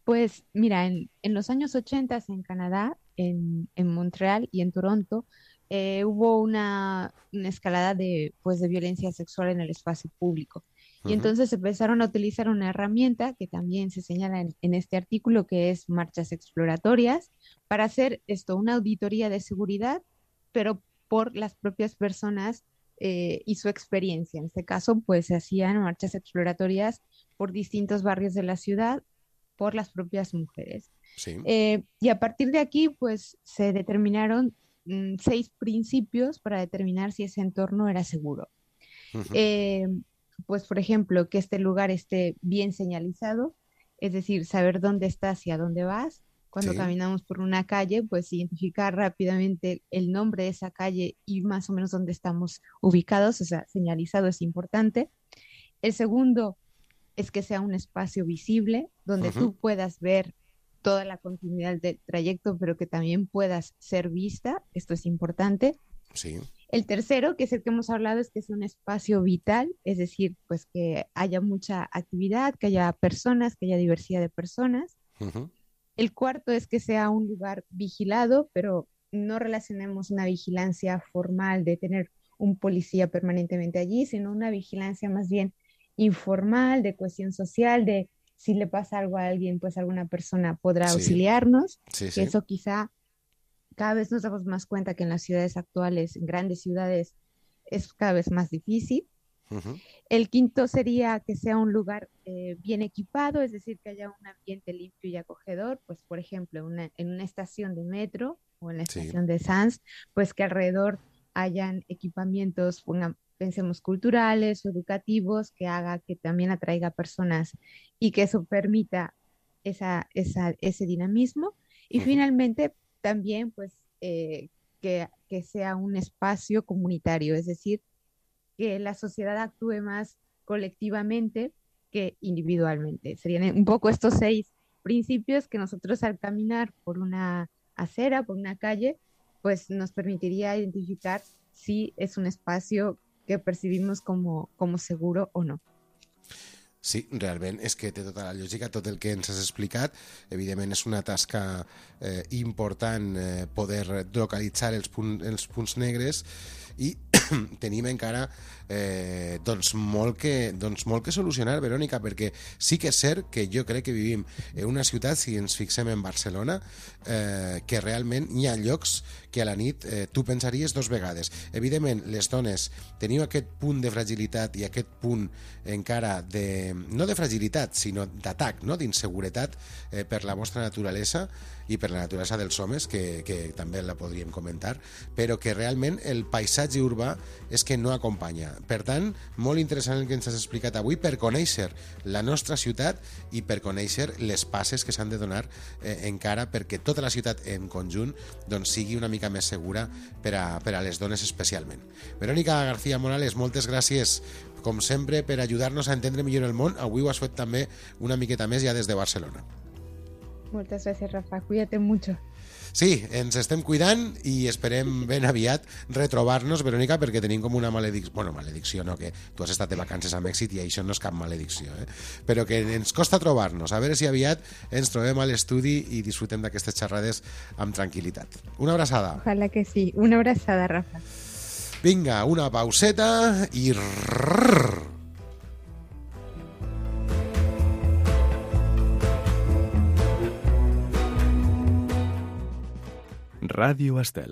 Pues mira, en, en los años ochenta en Canadá, en, en Montreal y en Toronto, eh, hubo una, una escalada de, pues, de violencia sexual en el espacio público. Y uh-huh. entonces empezaron a utilizar una herramienta que también se señala en, en este artículo, que es marchas exploratorias, para hacer esto, una auditoría de seguridad, pero por las propias personas Eh, y su experiencia. En este caso, pues se hacían marchas exploratorias por distintos barrios de la ciudad por las propias mujeres. Sí. Eh, y a partir de aquí, pues se determinaron mm, seis principios para determinar si ese entorno era seguro. Uh-huh. Eh, pues, por ejemplo, que este lugar esté bien señalizado, es decir, saber dónde estás y a dónde vas. Cuando sí. caminamos por una calle, pues identificar rápidamente el nombre de esa calle y más o menos dónde estamos ubicados, o sea, señalizado es importante. El segundo es que sea un espacio visible, donde uh-huh. tú puedas ver toda la continuidad del trayecto, pero que también puedas ser vista, esto es importante. Sí. El tercero, que es el que hemos hablado, es que sea un espacio vital, es decir, pues que haya mucha actividad, que haya personas, que haya diversidad de personas. Uh-huh. El cuarto es que sea un lugar vigilado, pero no relacionemos una vigilancia formal de tener un policía permanentemente allí, sino una vigilancia más bien informal, de cohesión social, de si le pasa algo a alguien, pues alguna persona podrá sí. auxiliarnos. Sí, sí. Que eso quizá cada vez nos damos más cuenta que en las ciudades actuales, en grandes ciudades, es cada vez más difícil. Uh-huh. El quinto sería que sea un lugar eh, bien equipado, es decir, que haya un ambiente limpio y acogedor, pues por ejemplo una, en una estación de metro o en la estación sí. de SANS, pues que alrededor hayan equipamientos, pongan, pensemos, culturales o educativos, que haga que también atraiga personas y que eso permita esa, esa, ese dinamismo. Y uh-huh. finalmente también pues eh, que, que sea un espacio comunitario, es decir, que la sociedad actúe más colectivamente que individualmente. Serían un poco estos seis principios que nosotros al caminar por una acera, por una calle, pues nos permitiría identificar si es un espacio que percibimos como, como seguro o no. Sí, realment és que té tota la lògica, tot el que ens has explicat. Evidentment és una tasca eh, important eh, poder localitzar els, punt, els punts negres i tenim encara eh, doncs, molt que, doncs, molt que solucionar, Verònica, perquè sí que és cert que jo crec que vivim en una ciutat, si ens fixem en Barcelona, eh, que realment hi ha llocs que a la nit eh, tu pensaries dos vegades. Evidentment, les dones teniu aquest punt de fragilitat i aquest punt encara de, no de fragilitat, sinó d'atac, no? D'inseguretat eh, per la vostra naturalesa i per la naturalesa dels homes, que, que també la podríem comentar, però que realment el paisatge urbà és que no acompanya. Per tant, molt interessant el que ens has explicat avui per conèixer la nostra ciutat i per conèixer les passes que s'han de donar eh, encara perquè tota la ciutat en conjunt doncs, sigui una mica més segura per a, per a les dones especialment. Verònica García Morales, moltes gràcies com sempre per ajudar-nos a entendre millor el món. Avui ho has fet també una miqueta més ja des de Barcelona. Muchas gracias, Rafa. Cuídate mucho. Sí, ens estem cuidant i esperem ben aviat retrobar-nos, Verònica, perquè tenim com una maledicció, bueno, maledicció no, que tu has estat de vacances amb èxit i això no és cap maledicció, eh? Però que ens costa trobar-nos, a veure si aviat ens trobem a l'estudi i disfrutem d'aquestes xerrades amb tranquil·litat. Una abraçada. Ojalá que sí, una abraçada, Rafa. Vinga, una pauseta i... Rrrr. Ràdio Estel.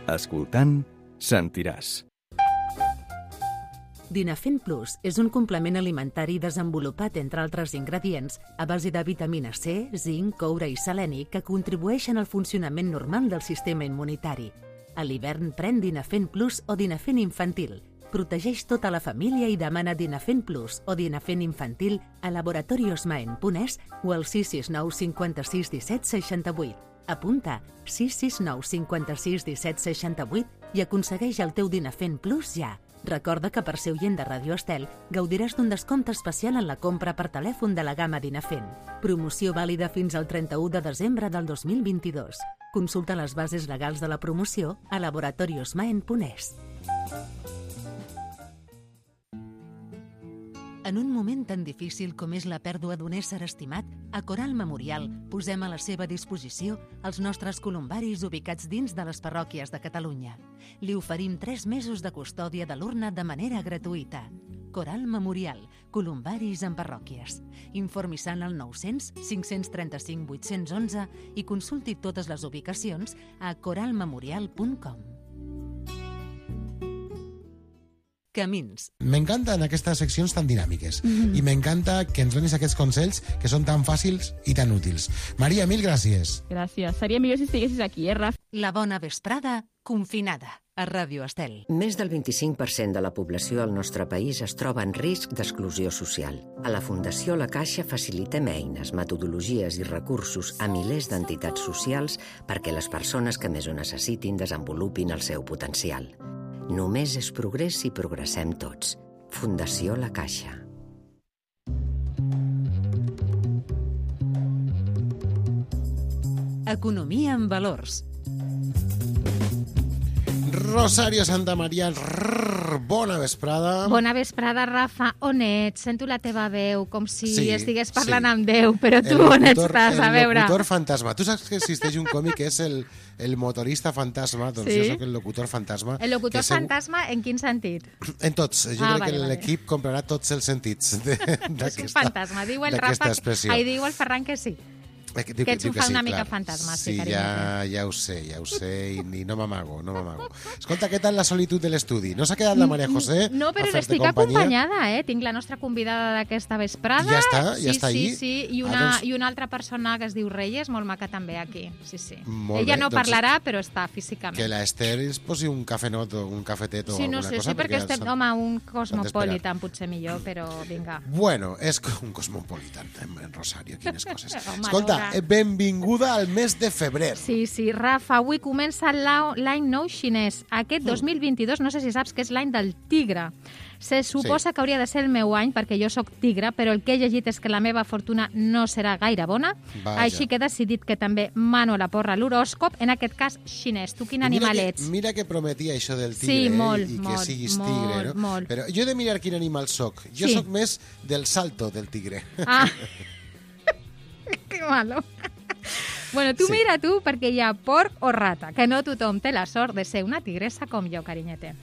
Escoltant, sentiràs. Dinafen Plus és un complement alimentari desenvolupat, entre altres ingredients, a base de vitamina C, zinc, coure i seleni que contribueixen al funcionament normal del sistema immunitari. A l'hivern pren Dinafen Plus o Dinafen Infantil. Protegeix tota la família i demana Dinafen Plus o Dinafen Infantil a laboratoriosmaen punt es o al sis sis nou cinquanta-sis disset seixanta-vuit. Apunta sis sis nou cinquanta-sis disset seixanta-vuit i aconsegueix el teu Dinafen Plus ja. Recorda que per ser oient de Radio Estel gaudiràs d'un descompte especial en la compra per telèfon de la gamma Dinafen. Promoció vàlida fins al trenta-u de desembre del dos mil vint-i-dos. Consulta les bases legals de la promoció a laboratoriosmaen punt es. En un moment tan difícil com és la pèrdua d'un ésser estimat, a Coral Memorial posem a la seva disposició els nostres columbaris ubicats dins de les parròquies de Catalunya. Li oferim tres mesos de custòdia de l'urna de manera gratuïta. Coral Memorial, columbaris en parròquies. Informi-se'n al nou-cents cinc-cents trenta-cinc vuit-cents onze i consulti totes les ubicacions a coral memorial punt com. Camins. M'encanten aquestes seccions tan dinàmiques mm-hmm. i m'encanta que ens donis aquests consells que són tan fàcils i tan útils. Maria, mil gràcies. Gràcies. Seria millor si estiguessis aquí, eh, Raf? La bona vesprada confinada a Ràdio Estel. Més del vint-i-cinc per cent de la població al nostre país es troba en risc d'exclusió social. A la Fundació La Caixa facilitem eines, metodologies i recursos a milers d'entitats socials perquè les persones que més ho necessitin desenvolupin el seu potencial. Només és progrés si progressem tots. Fundació La Caixa. Economia en valors. Rosario Santamaría, rrr, bona vesprada. Bona vesprada, Rafa. On ets? Sento la teva veu, com si sí, estigués parlant sí. amb Déu, però tu locutor, on estàs? A veure. El locutor fantasma. Tu saps que existeix un còmic que és el, el motorista fantasma? Doncs sí? Jo soc el locutor fantasma. El locutor fantasma en quin sentit? En tots. Jo ah, crec vale, que l'equip vale. comprarà tots els sentits d'aquesta fantasma. Diu el Rafa, ai, diu el Ferran que sí. Que, diu, que ets un fa sí, una mica clar. fantasma. Sí, sí ja, ja ho sé, ja ho sé, i, i no m'amago, no m'amago. Escolta, què tal la solitud de l'estudi? No s'ha quedat la Maria José? No, però estic companyia? acompanyada, eh? Tinc la nostra convidada d'aquesta vesprada. I ja està? Ja sí, està sí, ahí? Sí, sí, i una, ah, doncs... i una altra persona que es diu Reyes, molt maca també aquí. Sí, sí. Molt Ella bé, no doncs parlarà, però està físicament. Que l'Ester ens posi un cafenot o un cafetet o sí, alguna no sé, cosa. Sí, perquè, perquè estem, home, un cosmopolitan potser millor, però vinga. Bueno, és un cosmopolitan en Rosario, quines coses. Escolta, benvingut al mes de febrer. Sí, sí, Rafa, avui comença l'any nou xinès. Aquest dos mil vint-i-dos, no sé si saps que és l'any del tigre. Se suposa sí. que hauria de ser el meu any, perquè jo sóc tigre, però el que he llegit és que la meva fortuna no serà gaire bona. Vaja. Així que he decidit que també mano la porra a l'horòscop, en aquest cas xinès. Tu quin animal que, ets? Mira que prometia això del tigre, sí, molt, eh? I molt, que siguis molt, tigre, no? Molt. Però jo he de mirar quin animal soc. Jo sí. soc més del salto del tigre. Ah, que malo. Bueno, tu sí. mira tu, perquè hi ha porc o rata, que no tothom té la sort de ser una tigressa com jo, carinyete.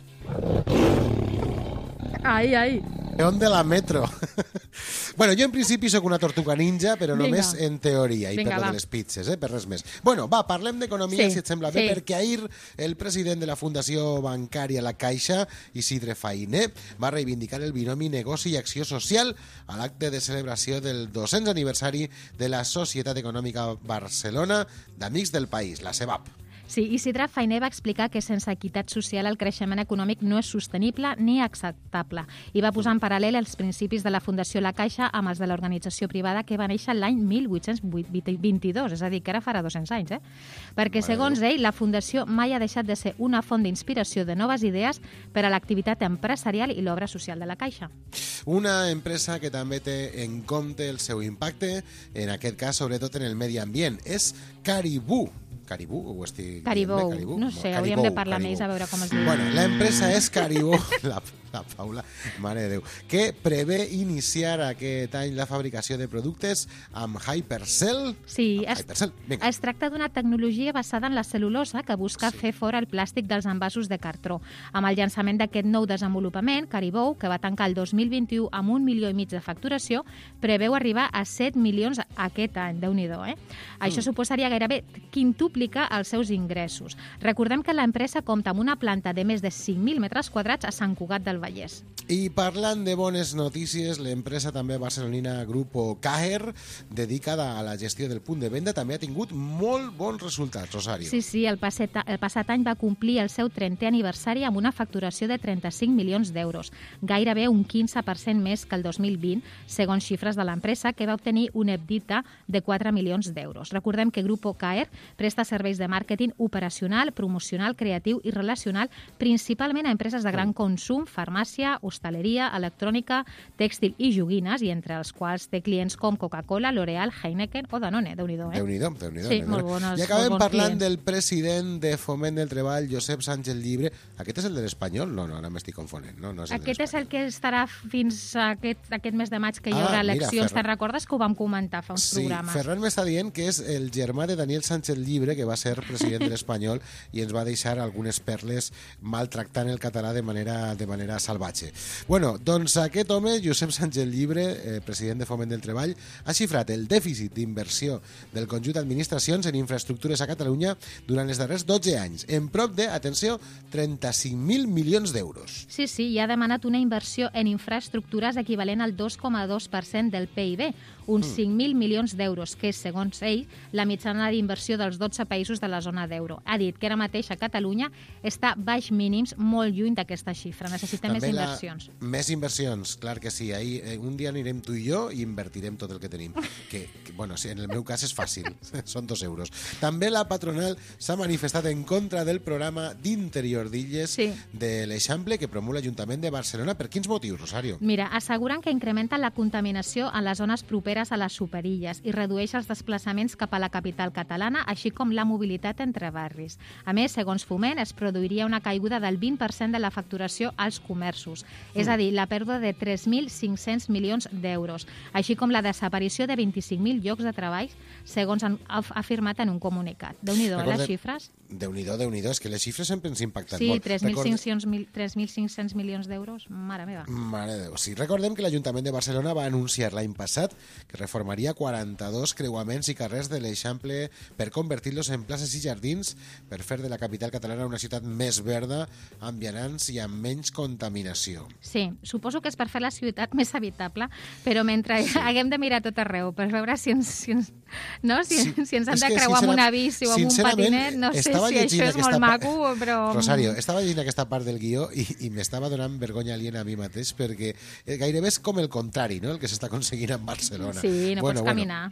Ai, ai. León de la metro. Bueno, jo en principi sóc una tortuga ninja, però Vinga. només en teoria, i Vinga, per lo de les pizzas, eh? Per res més. Bueno, va, parlem d'economia, sí, si et sembla bé, sí. perquè ahir el president de la Fundació Bancària La Caixa, Isidre Fainé, va reivindicar el binomi negoci i acció social a l'acte de celebració del dos-cents aniversari de la Societat Econòmica Barcelona d'Amics del País, la CEBAP. Sí, Isidre Fainé va explicar que sense equitat social el creixement econòmic no és sostenible ni acceptable i va posar en paral·lel els principis de la Fundació La Caixa amb els de l'organització privada que va néixer l'any mil vuit-cents vint-i-dos, és a dir, que ara farà dos-cents anys, eh? Perquè, segons ell, la Fundació mai ha deixat de ser una font d'inspiració de noves idees per a l'activitat empresarial i l'obra social de la Caixa. Una empresa que també té en compte el seu impacte, en aquest cas, sobretot en el medi ambient, és Caribou. Caribou, o estic Caribou, Caribou? No sé, Caribou, hauríem de parlar Caribou. més a veure com es diu. Bueno, l'empresa és Caribou, la, la Paula, mare de Déu, que prevé iniciar aquest any la fabricació de productes amb Hypercell. Sí, amb es, Hypercell. es tracta d'una tecnologia basada en la cel·lulosa que busca sí. fer fora el plàstic dels envasos de cartró. Amb el llançament d'aquest nou desenvolupament, Caribou, que va tancar el dos mil vint-i-u amb un milió i mig de facturació, preveu arribar a set milions aquest any, Déu-n'hi-do, eh? Això mm. suposaria gairebé quintupli explica els seus ingressos. Recordem que l'empresa compta amb una planta de més de cinc mil metres quadrats a Sant Cugat del Vallès. I parlant de bones notícies, l'empresa també barcelonina Grupo Caer, dedicada a la gestió del punt de venda, també ha tingut molt bons resultats, Rosario. Sí, sí, el passat, el passat any va complir el seu trentè aniversari amb una facturació de trenta-cinc milions d'euros, gairebé un quinze per cent més que el dos mil vint, segons xifres de l'empresa, que va obtenir un EBITDA de quatre milions d'euros. Recordem que Grupo Caer presta serveis de màrqueting operacional, promocional, creatiu i relacional, principalment a empreses de gran consum, farmàcia, hostaleria, electrònica, tèxtil i joguines, i entre els quals té clients com Coca-Cola, L'Oreal, Heineken o Danone. Déu-n'hi-do, eh? Déu-n'hi-do, Déu-n'hi-do. Sí, molt bones, I acabem molt bons parlant clients. del president de Foment del Treball, Josep Sánchez Llibre. Aquest és el de l'Espanyol? No, no, ara m'estic confonent. No, no és el Aquest és el que estarà fins a aquest, aquest mes de maig, que hi Ah, haurà mira, eleccions. Ferran. Te'n recordes que ho vam comentar fa uns Sí, programes? Ferran m'està dient que és el germà de Daniel Sánchez Llibre, que va ser president de l'Espanyol i ens va deixar algunes perles maltractant el català de manera, de manera salvatge. Bueno, doncs aquest home, Josep Sánchez Llibre, eh, president de Foment del Treball, ha xifrat el dèficit d'inversió del conjunt d'administracions en infraestructures a Catalunya durant els darrers dotze anys, en prop de, atenció, trenta-cinc mil milions d'euros. Sí, sí, i ha demanat una inversió en infraestructures equivalent al dos coma dos per cent del P I B, uns Mm. cinc mil milions d'euros, que és, segons ell, la mitjana d'inversió dels dotze països de la zona d'euro. Ha dit que ara mateix a Catalunya està baix mínims, molt lluny d'aquesta xifra. Necessitem més També la- inversions. Més inversions, clar que sí. Ahir, eh, un dia anirem tu i jo i invertirem tot el que tenim. Que, que bueno, sí, en el meu cas és fàcil, són dos euros. També la patronal s'ha manifestat en contra del programa d'interior d'illes Sí. de l'Eixample que promou l'Ajuntament de Barcelona. Per quins motius, Rosario? Mira, asseguren que incrementa la contaminació en les zones properes a les superilles i redueix els desplaçaments cap a la capital catalana, així com la mobilitat entre barris. A més, segons Foment, es produiria una caiguda del vint per cent de la facturació als comerços, és a dir, la pèrdua de tres mil cinc-cents milions d'euros, així com la desaparició de vint-i-cinc mil llocs de treball, segons han afirmat en un comunicat. Déu-n'hi-do, Recordem- les xifres? Déu-n'hi-do, Déu-n'hi-do, és que les xifres sempre ens impacten Sí, molt. tres mil Recorde- cinc-cents milions d'euros, mare meva. Mare de Déu, sí. Recordem que l'Ajuntament de Barcelona va anunciar l'any passat que reformaria quaranta-dos creuaments i carrers de l'Eixample per convertir-los en places i jardins per fer de la capital catalana una ciutat més verda, amb vianants i amb menys contaminació. Sí, suposo que és per fer la ciutat més habitable, però mentre sí. haguem de mirar tot arreu per veure si ens, si ens, no? si, Sí, si ens han és de que, creuar amb sincera- una bici o amb un sincerament, patinet, no sé estava si llegint això és aquesta molt pa- maco, però... Rosario, estava llegint aquesta part del guió i, i m'estava donant vergonya aliena a mi mateix perquè eh, gairebé és com el contrari, no?, el que s'està aconseguint en Barcelona. Sí, no pots caminar.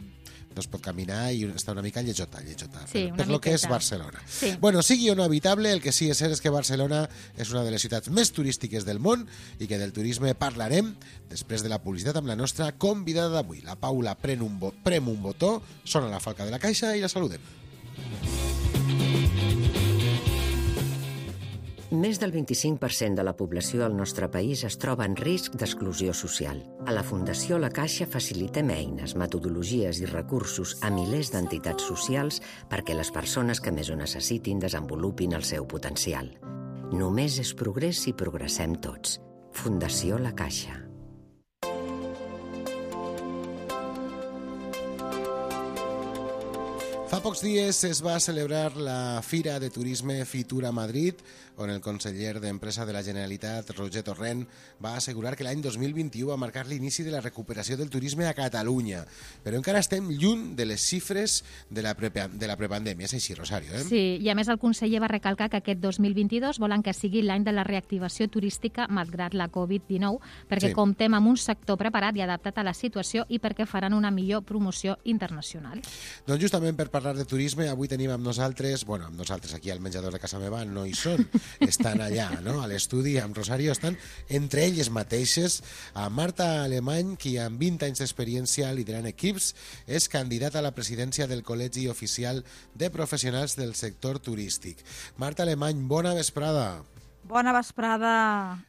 No es pot caminar i està una mica lletjota, lletjota, Sí, per, una per lo que és miqueta. Barcelona. Sí. Bueno, sigui o no habitable, el que sí és cert és que Barcelona és una de les ciutats més turístiques del món i que del turisme parlarem després de la publicitat amb la nostra convidada d'avui. La Paula pren un, bo, prem un botó, sona la falca de la caixa i la saludem. Més del vint-i-cinc per cent de la població al nostre país es troba en risc d'exclusió social. A la Fundació La Caixa facilitem eines, metodologies i recursos a milers d'entitats socials perquè les persones que més ho necessitin desenvolupin el seu potencial. Només és progrés si progressem tots. Fundació La Caixa. Fa pocs dies es va celebrar la Fira de Turisme Fitur a Madrid, on el conseller d'Empresa de la Generalitat, Roger Torrent, va assegurar que l'any dos mil vint-i-u va marcar l'inici de la recuperació del turisme a Catalunya. Però encara estem lluny de les xifres de la, pre de la prepandèmia. És així, Rosario, eh? Sí, i a més el conseller va recalcar que aquest dos mil vint-i-dos volen que sigui l'any de la reactivació turística malgrat la covid dinou, perquè Sí. comptem amb un sector preparat i adaptat a la situació i perquè faran una millor promoció internacional. Doncs justament per parlar de turisme, avui tenim amb nosaltres, bueno, amb nosaltres aquí al menjador de casa meva no hi són, estan allà, no?, a l'estudi amb Rosario, estan entre elles mateixes a Marta Alemany, qui amb vint anys d'experiència liderant equips és candidata a la presidència del Col·legi Oficial de Professionals del Sector Turístic. Marta Alemany, bona vesprada. Bona vesprada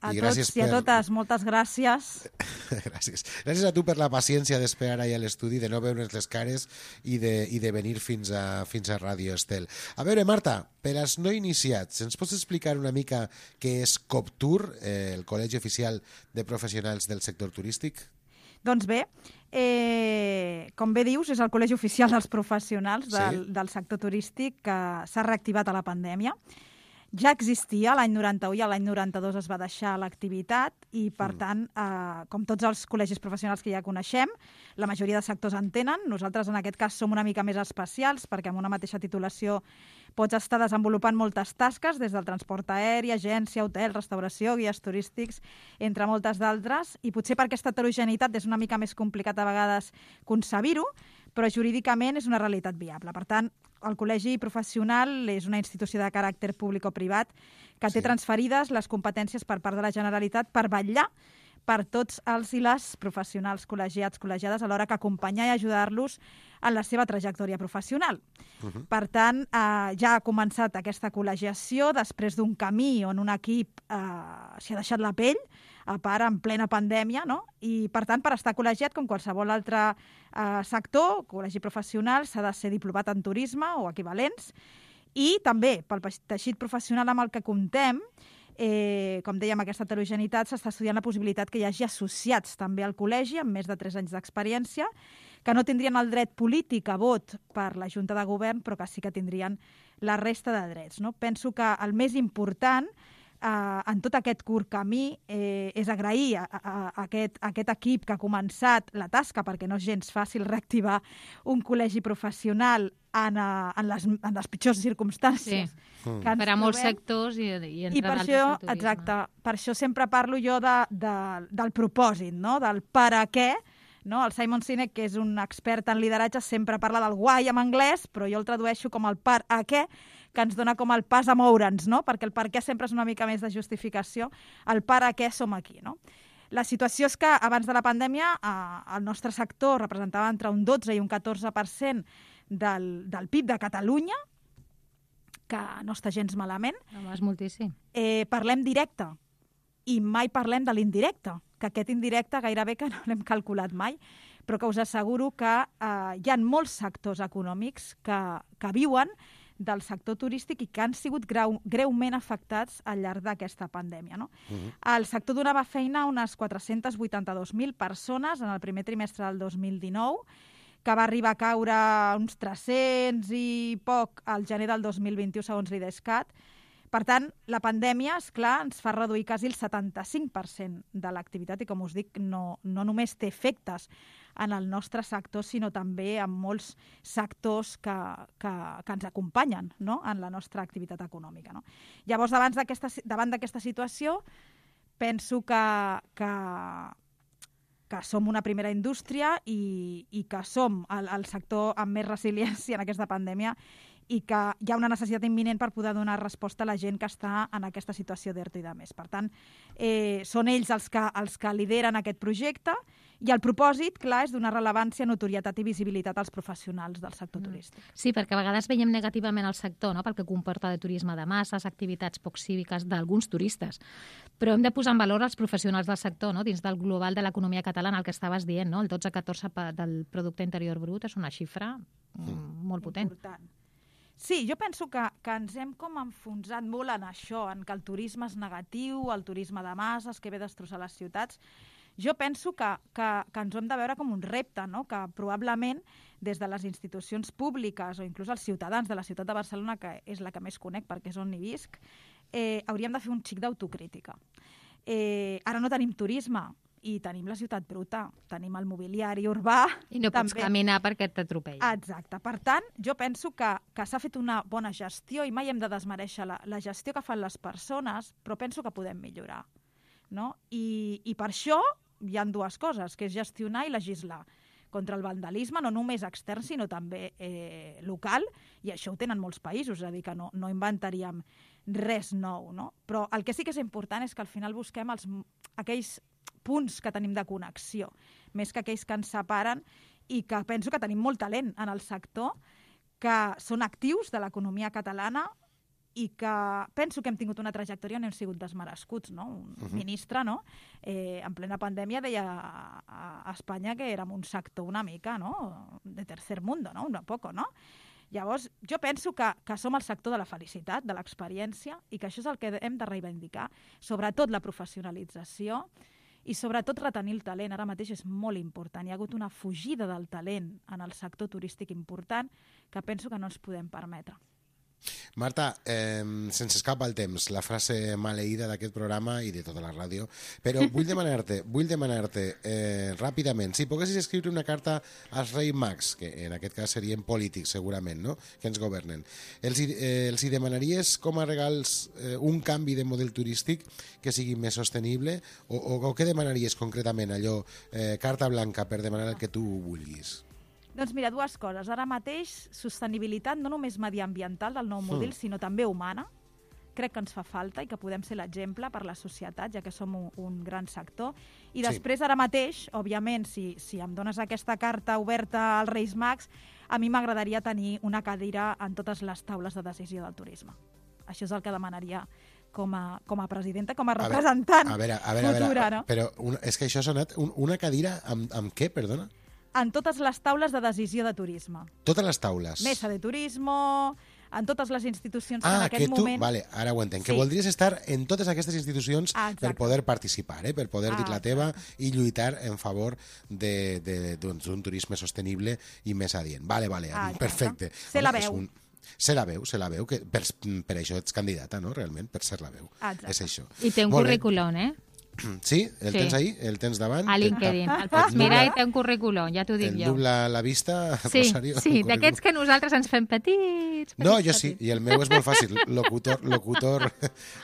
a I tots gràcies i a per- totes. Moltes gràcies. Gràcies. Gràcies a tu per la paciència d'esperar ahir a l'estudi, de no veure's les cares i de, i de venir fins a, fins a Ràdio Estel. A veure, Marta, per als no iniciats, ens pots explicar una mica què és COPTUR, eh, el Col·legi Oficial de Professionals del Sector Turístic? Doncs bé, eh, com bé dius, és el Col·legi Oficial dels Professionals del, Sí. del sector turístic que s'ha reactivat a la pandèmia. Ja existia l'any noranta-u i l'any noranta-dos es va deixar l'activitat i, per mm. tant, eh, com tots els col·legis professionals que ja coneixem, la majoria de sectors en tenen. Nosaltres, en aquest cas, som una mica més especials perquè amb una mateixa titulació pots estar desenvolupant moltes tasques, des del transport aeri, agència, hotel, restauració, guies turístics, entre moltes d'altres, i potser per aquesta heterogeneïtat és una mica més complicat a vegades concebir-ho, però jurídicament és una realitat viable. Per tant, el Col·legi Professional és una institució de caràcter públic o privat que té Sí. transferides les competències per part de la Generalitat per vetllar per tots els i les professionals col·legiats, col·legiades, alhora que acompanyar i ajudar-los en la seva trajectòria professional. Uh-huh. Per tant, eh, ja ha començat aquesta col·legiació després d'un camí on un equip eh, s'hi ha deixat la pell, a part en plena pandèmia, no? I, per tant, per estar col·legiat, com qualsevol altre eh, sector, col·legi professional, s'ha de ser diplomat en turisme o equivalents, i també pel teixit professional amb el que comptem, Eh, com dèiem, aquesta heterogeneïtat, s'està estudiant la possibilitat que hi hagi associats també al col·legi amb més de tres anys d'experiència, que no tindrien el dret polític a vot per la Junta de Govern, però que sí que tindrien la resta de drets. No? Penso que el més important eh, en tot aquest curt camí eh, és agrair a, a, a, aquest, a aquest equip que ha començat la tasca, perquè no és gens fàcil reactivar un col·legi professional en, a, en, les, en les pitjors circumstàncies. Sí. Mm. Per a molts sectors i, i entre I per d'altres això, del turisme. exacte, per això sempre parlo jo de, de, del propòsit, no? Del per a què. No? El Simon Sinek, que és un expert en lideratge, sempre parla del why en anglès, però jo el tradueixo com el per a què, que ens dona com el pas a moure'ns, no? Perquè el per què sempre és una mica més de justificació, el per a què som aquí, no? La situació és que abans de la pandèmia eh, el nostre sector representava entre un dotze i un catorze per cent del, del P I B de Catalunya, que no està gens malament. No, és moltíssim. Eh, parlem directe i mai parlem de l'indirecte, que aquest indirecte gairebé que no l'hem calculat mai, però que us asseguro que eh, hi ha molts sectors econòmics que, que viuen del sector turístic i que han sigut greu, greument afectats al llarg d'aquesta pandèmia. No? Uh-huh. El sector donava feina a unes quatre-cents vuitanta-dos mil persones en el primer trimestre del dos mil dinou, que va arribar a caure uns tres-cents i poc al gener del dos mil vint-i-u, segons l'IDESCAT. Per tant, la pandèmia, és clar, ens fa reduir quasi el setanta-cinc per cent de l'activitat i, com us dic, no, no només té efectes en el nostre sector, sinó també en molts sectors que, que, que ens acompanyen, no?, en la nostra activitat econòmica. No? Llavors, davant d'aquesta, davant d'aquesta situació, penso que, que, que som una primera indústria i, i que som el, el sector amb més resiliència en aquesta pandèmia i que hi ha una necessitat imminent per poder donar resposta a la gent que està en aquesta situació d'ERTO i de més. Per tant, eh, són ells els que, els que lideren aquest projecte i el propòsit, clar, és donar rellevància, notorietat i visibilitat als professionals del sector mm. turístic. Sí, perquè a vegades veiem negativament el sector, no?, pel que comporta de turisme de masses, activitats poc cíviques d'alguns turistes. Però hem de posar en valor els professionals del sector, no?, dins del global de l'economia catalana, el que estaves dient, no?, el dotze a catorze del producte interior brut és una xifra mm. molt potent. Important. Sí, jo penso que, que ens hem com enfonsat molt en això, en que el turisme és negatiu, el turisme de masses, que ve a destrossar les ciutats. Jo penso que, que, que ens ho hem de veure com un repte, no? Que probablement des de les institucions públiques o inclús els ciutadans de la ciutat de Barcelona, que és la que més conec perquè és on hi visc, eh, hauríem de fer un xic d'autocrítica. Eh, ara no tenim turisme, i tenim la ciutat bruta, tenim el mobiliari urbà... I no pots també. caminar perquè t'atropellen. Exacte. Per tant, jo penso que, que s'ha fet una bona gestió i mai hem de desmereixer la, la gestió que fan les persones, però penso que podem millorar. No? I, I per això hi ha dues coses, que és gestionar i legislar contra el vandalisme, no només extern, sinó també eh, local, i això ho tenen molts països, és a dir, que no, no inventaríem res nou. No? Però el que sí que és important és que al final busquem els, aquells punts que tenim de connexió, més que aquells que ens separen i que penso que tenim molt talent en el sector, que són actius de l'economia catalana i que penso que hem tingut una trajectòria on hem sigut desmerescuts, no? Un uh-huh. ministre, no? Eh, en plena pandèmia deia a, a Espanya que érem un sector una mica, no?, de tercer mundo, no?, un poco, no? Llavors, jo penso que, que som el sector de la felicitat, de l'experiència, i que això és el que hem de reivindicar, sobretot la professionalització i sobretot retenir el talent. Ara mateix és molt important. Hi ha hagut una fugida del talent en el sector turístic important que penso que no ens podem permetre. Marta, eh, sense escapa el temps, la frase maleïda d'aquest programa i de tota la ràdio, però vull demanar-te, vull demanar-te eh, ràpidament, si poguessis escriure una carta als Reis Mags, que en aquest cas serien polítics segurament, no?, que ens governen, els, eh, els hi demanaries com a regals eh, un canvi de model turístic que sigui més sostenible, o, o, o què demanaries concretament, allò, eh, carta blanca per demanar el que tu vulguis? Doncs mira, dues coses. Ara mateix, sostenibilitat no només mediambiental del nou model, mm. sinó també humana. Crec que ens fa falta i que podem ser l'exemple per la societat, ja que som un, un gran sector. I després, sí. ara mateix, òbviament, si, si em dones aquesta carta oberta als Reis Mags, a mi m'agradaria tenir una cadira en totes les taules de decisió del turisme. Això és el que demanaria com a, com a presidenta, com a representant a veure, a veure, futura. A veure, no? Però una, és que això ha sonat un, una cadira amb, amb què, perdona? En totes les taules de decisió de turisme. Totes les taules? Mesa de turismo, en totes les institucions ah, que en aquest que tu, moment... Vale, ara ho entenc, sí. que voldries estar en totes aquestes institucions ah, per poder participar, eh? per poder ah, dir la teva i lluitar en favor d'un doncs, turisme sostenible i més adient. Vale, vale, ah, perfecte. Se la veu. Un... Se la veu, se la veu, que per, per això ets candidata, no?, realment, per ser la veu. Exacte. És això. I té un Molt currículum, eh? Sí? El sí. tens ahí? El tens davant? A LinkedIn. El pots mirar i té un currículum, ja t'ho dic el jo. El dobla la vista, sí, Rosario? Sí, d'aquests que nosaltres ens fem petits. petits no, jo petits. sí, i el meu és molt fàcil. Locutor, locutor,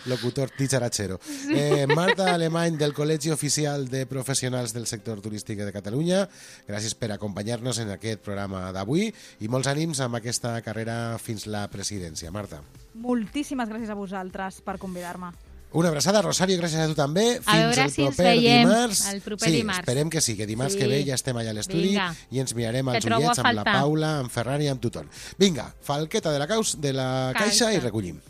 locutor dicharachero. Sí. Eh, Marta Alemany, del Col·legi Oficial de Professionals del Sector Turístic de Catalunya, gràcies per acompanyar-nos en aquest programa d'avui i molts ànims amb aquesta carrera fins la presidència. Marta. Moltíssimes gràcies a vosaltres per convidar-me. Una abraçada, Rosario, gràcies a tu també. Fins a veure el si ens proper veiem dimarts. el proper sí, dimarts. Esperem que sí, que dimarts sí. que ve ja estem allà a l'estudi i ens mirarem als ullets amb la Paula, amb Ferran i amb tothom. Vinga, falqueta de la, caus, de la caixa i recollim.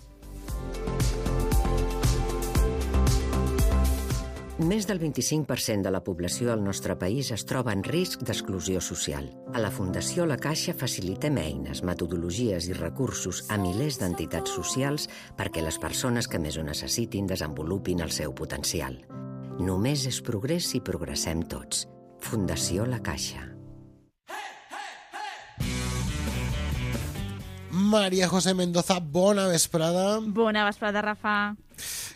Més del vint-i-cinc per cent de la població al nostre país es troba en risc d'exclusió social. A la Fundació La Caixa facilitem eines, metodologies i recursos a milers d'entitats socials perquè les persones que més ho necessitin desenvolupin el seu potencial. Només és progrés si progressem tots. Fundació La Caixa. María José Mendoza, bona vesprada. Bona vesprada, Rafa.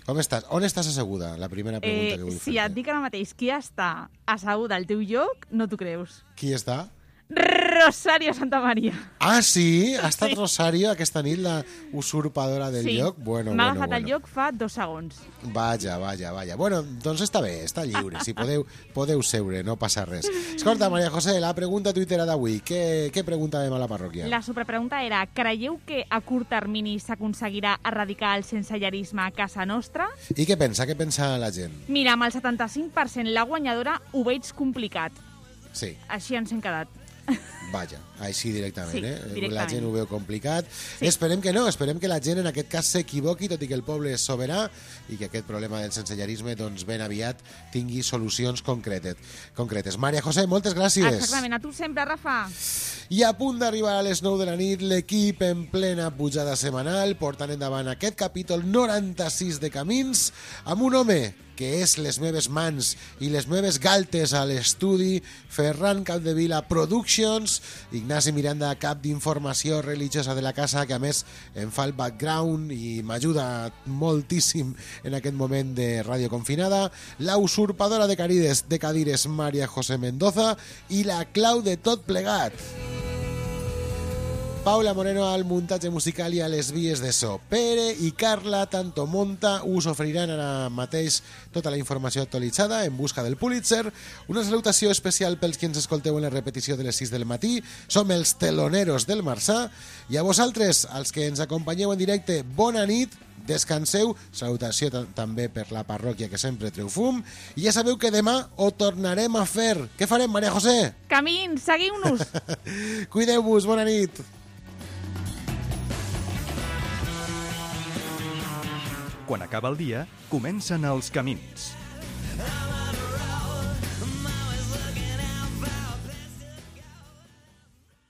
Com estàs? On estàs asseguda? La primera pregunta eh, que vull fer. Si et dic ara mateix qui està asseguda al teu lloc, no t'ho creus. Qui està? Rosario Santamaría. Ah, sí? Ha estat sí. Rosario aquesta nit la usurpadora del sí. lloc? Bueno, M'ha bueno, agafat bueno. el lloc fa dos segons. Vaja, vaja, vaja. Bueno, doncs està bé, està lliure. Si podeu, podeu seure, no passa res. Escolta, María José, la pregunta tuitera d'avui. Què, què preguntàvem a la parròquia? La superpregunta era: creieu que a curt termini s'aconseguirà erradicar el sensellarisme a casa nostra? I què pensa? Què pensa la gent? Mira, amb el setanta-cinc per cent la guanyadora ho veig complicat. Sí. Així ens hem quedat. Vaja, així directament, sí, eh? directament. La gent ho veu complicat. Sí. Esperem que no, esperem que la gent en aquest cas s'equivoqui, tot i que el poble és soberà i que aquest problema del sensellarisme doncs, ben aviat tingui solucions concretes. concretes. María José, moltes gràcies. Exactament, a tu sempre, Rafa. I a punt d'arribar a les nou de la nit, l'equip en plena pujada setmanal, portant endavant aquest capítol noranta-sis de Camins, amb un home que és les meves mans i les meves galtes a l'estudi, Ferran Capdevila Productions, Ignasi Miranda, cap d'informació religiosa de la casa, que a més em fa el background i m'ajuda moltíssim en aquest moment de ràdio confinada, la usurpadora de cadires, de cadires María José Mendoza i la clau de tot plegat, Paula Moreno al muntatge musical i a les vies de so. Pere i Carla Tanto Monta us oferiran ara mateix tota la informació actualitzada en busca del Pulitzer. Una salutació especial pels qui ens escolteu en la repetició de les sis del matí. Som els teloneros del Marçà. I a vosaltres, als que ens acompanyeu en directe, bona nit, descanseu. Salutació també per la parròquia, que sempre treu fum. I ja sabeu que demà ho tornarem a fer. Què farem, María José? Camins, seguiu-nos. Cuideu-vos, bona nit. Quan acaba el dia, comencen els camins.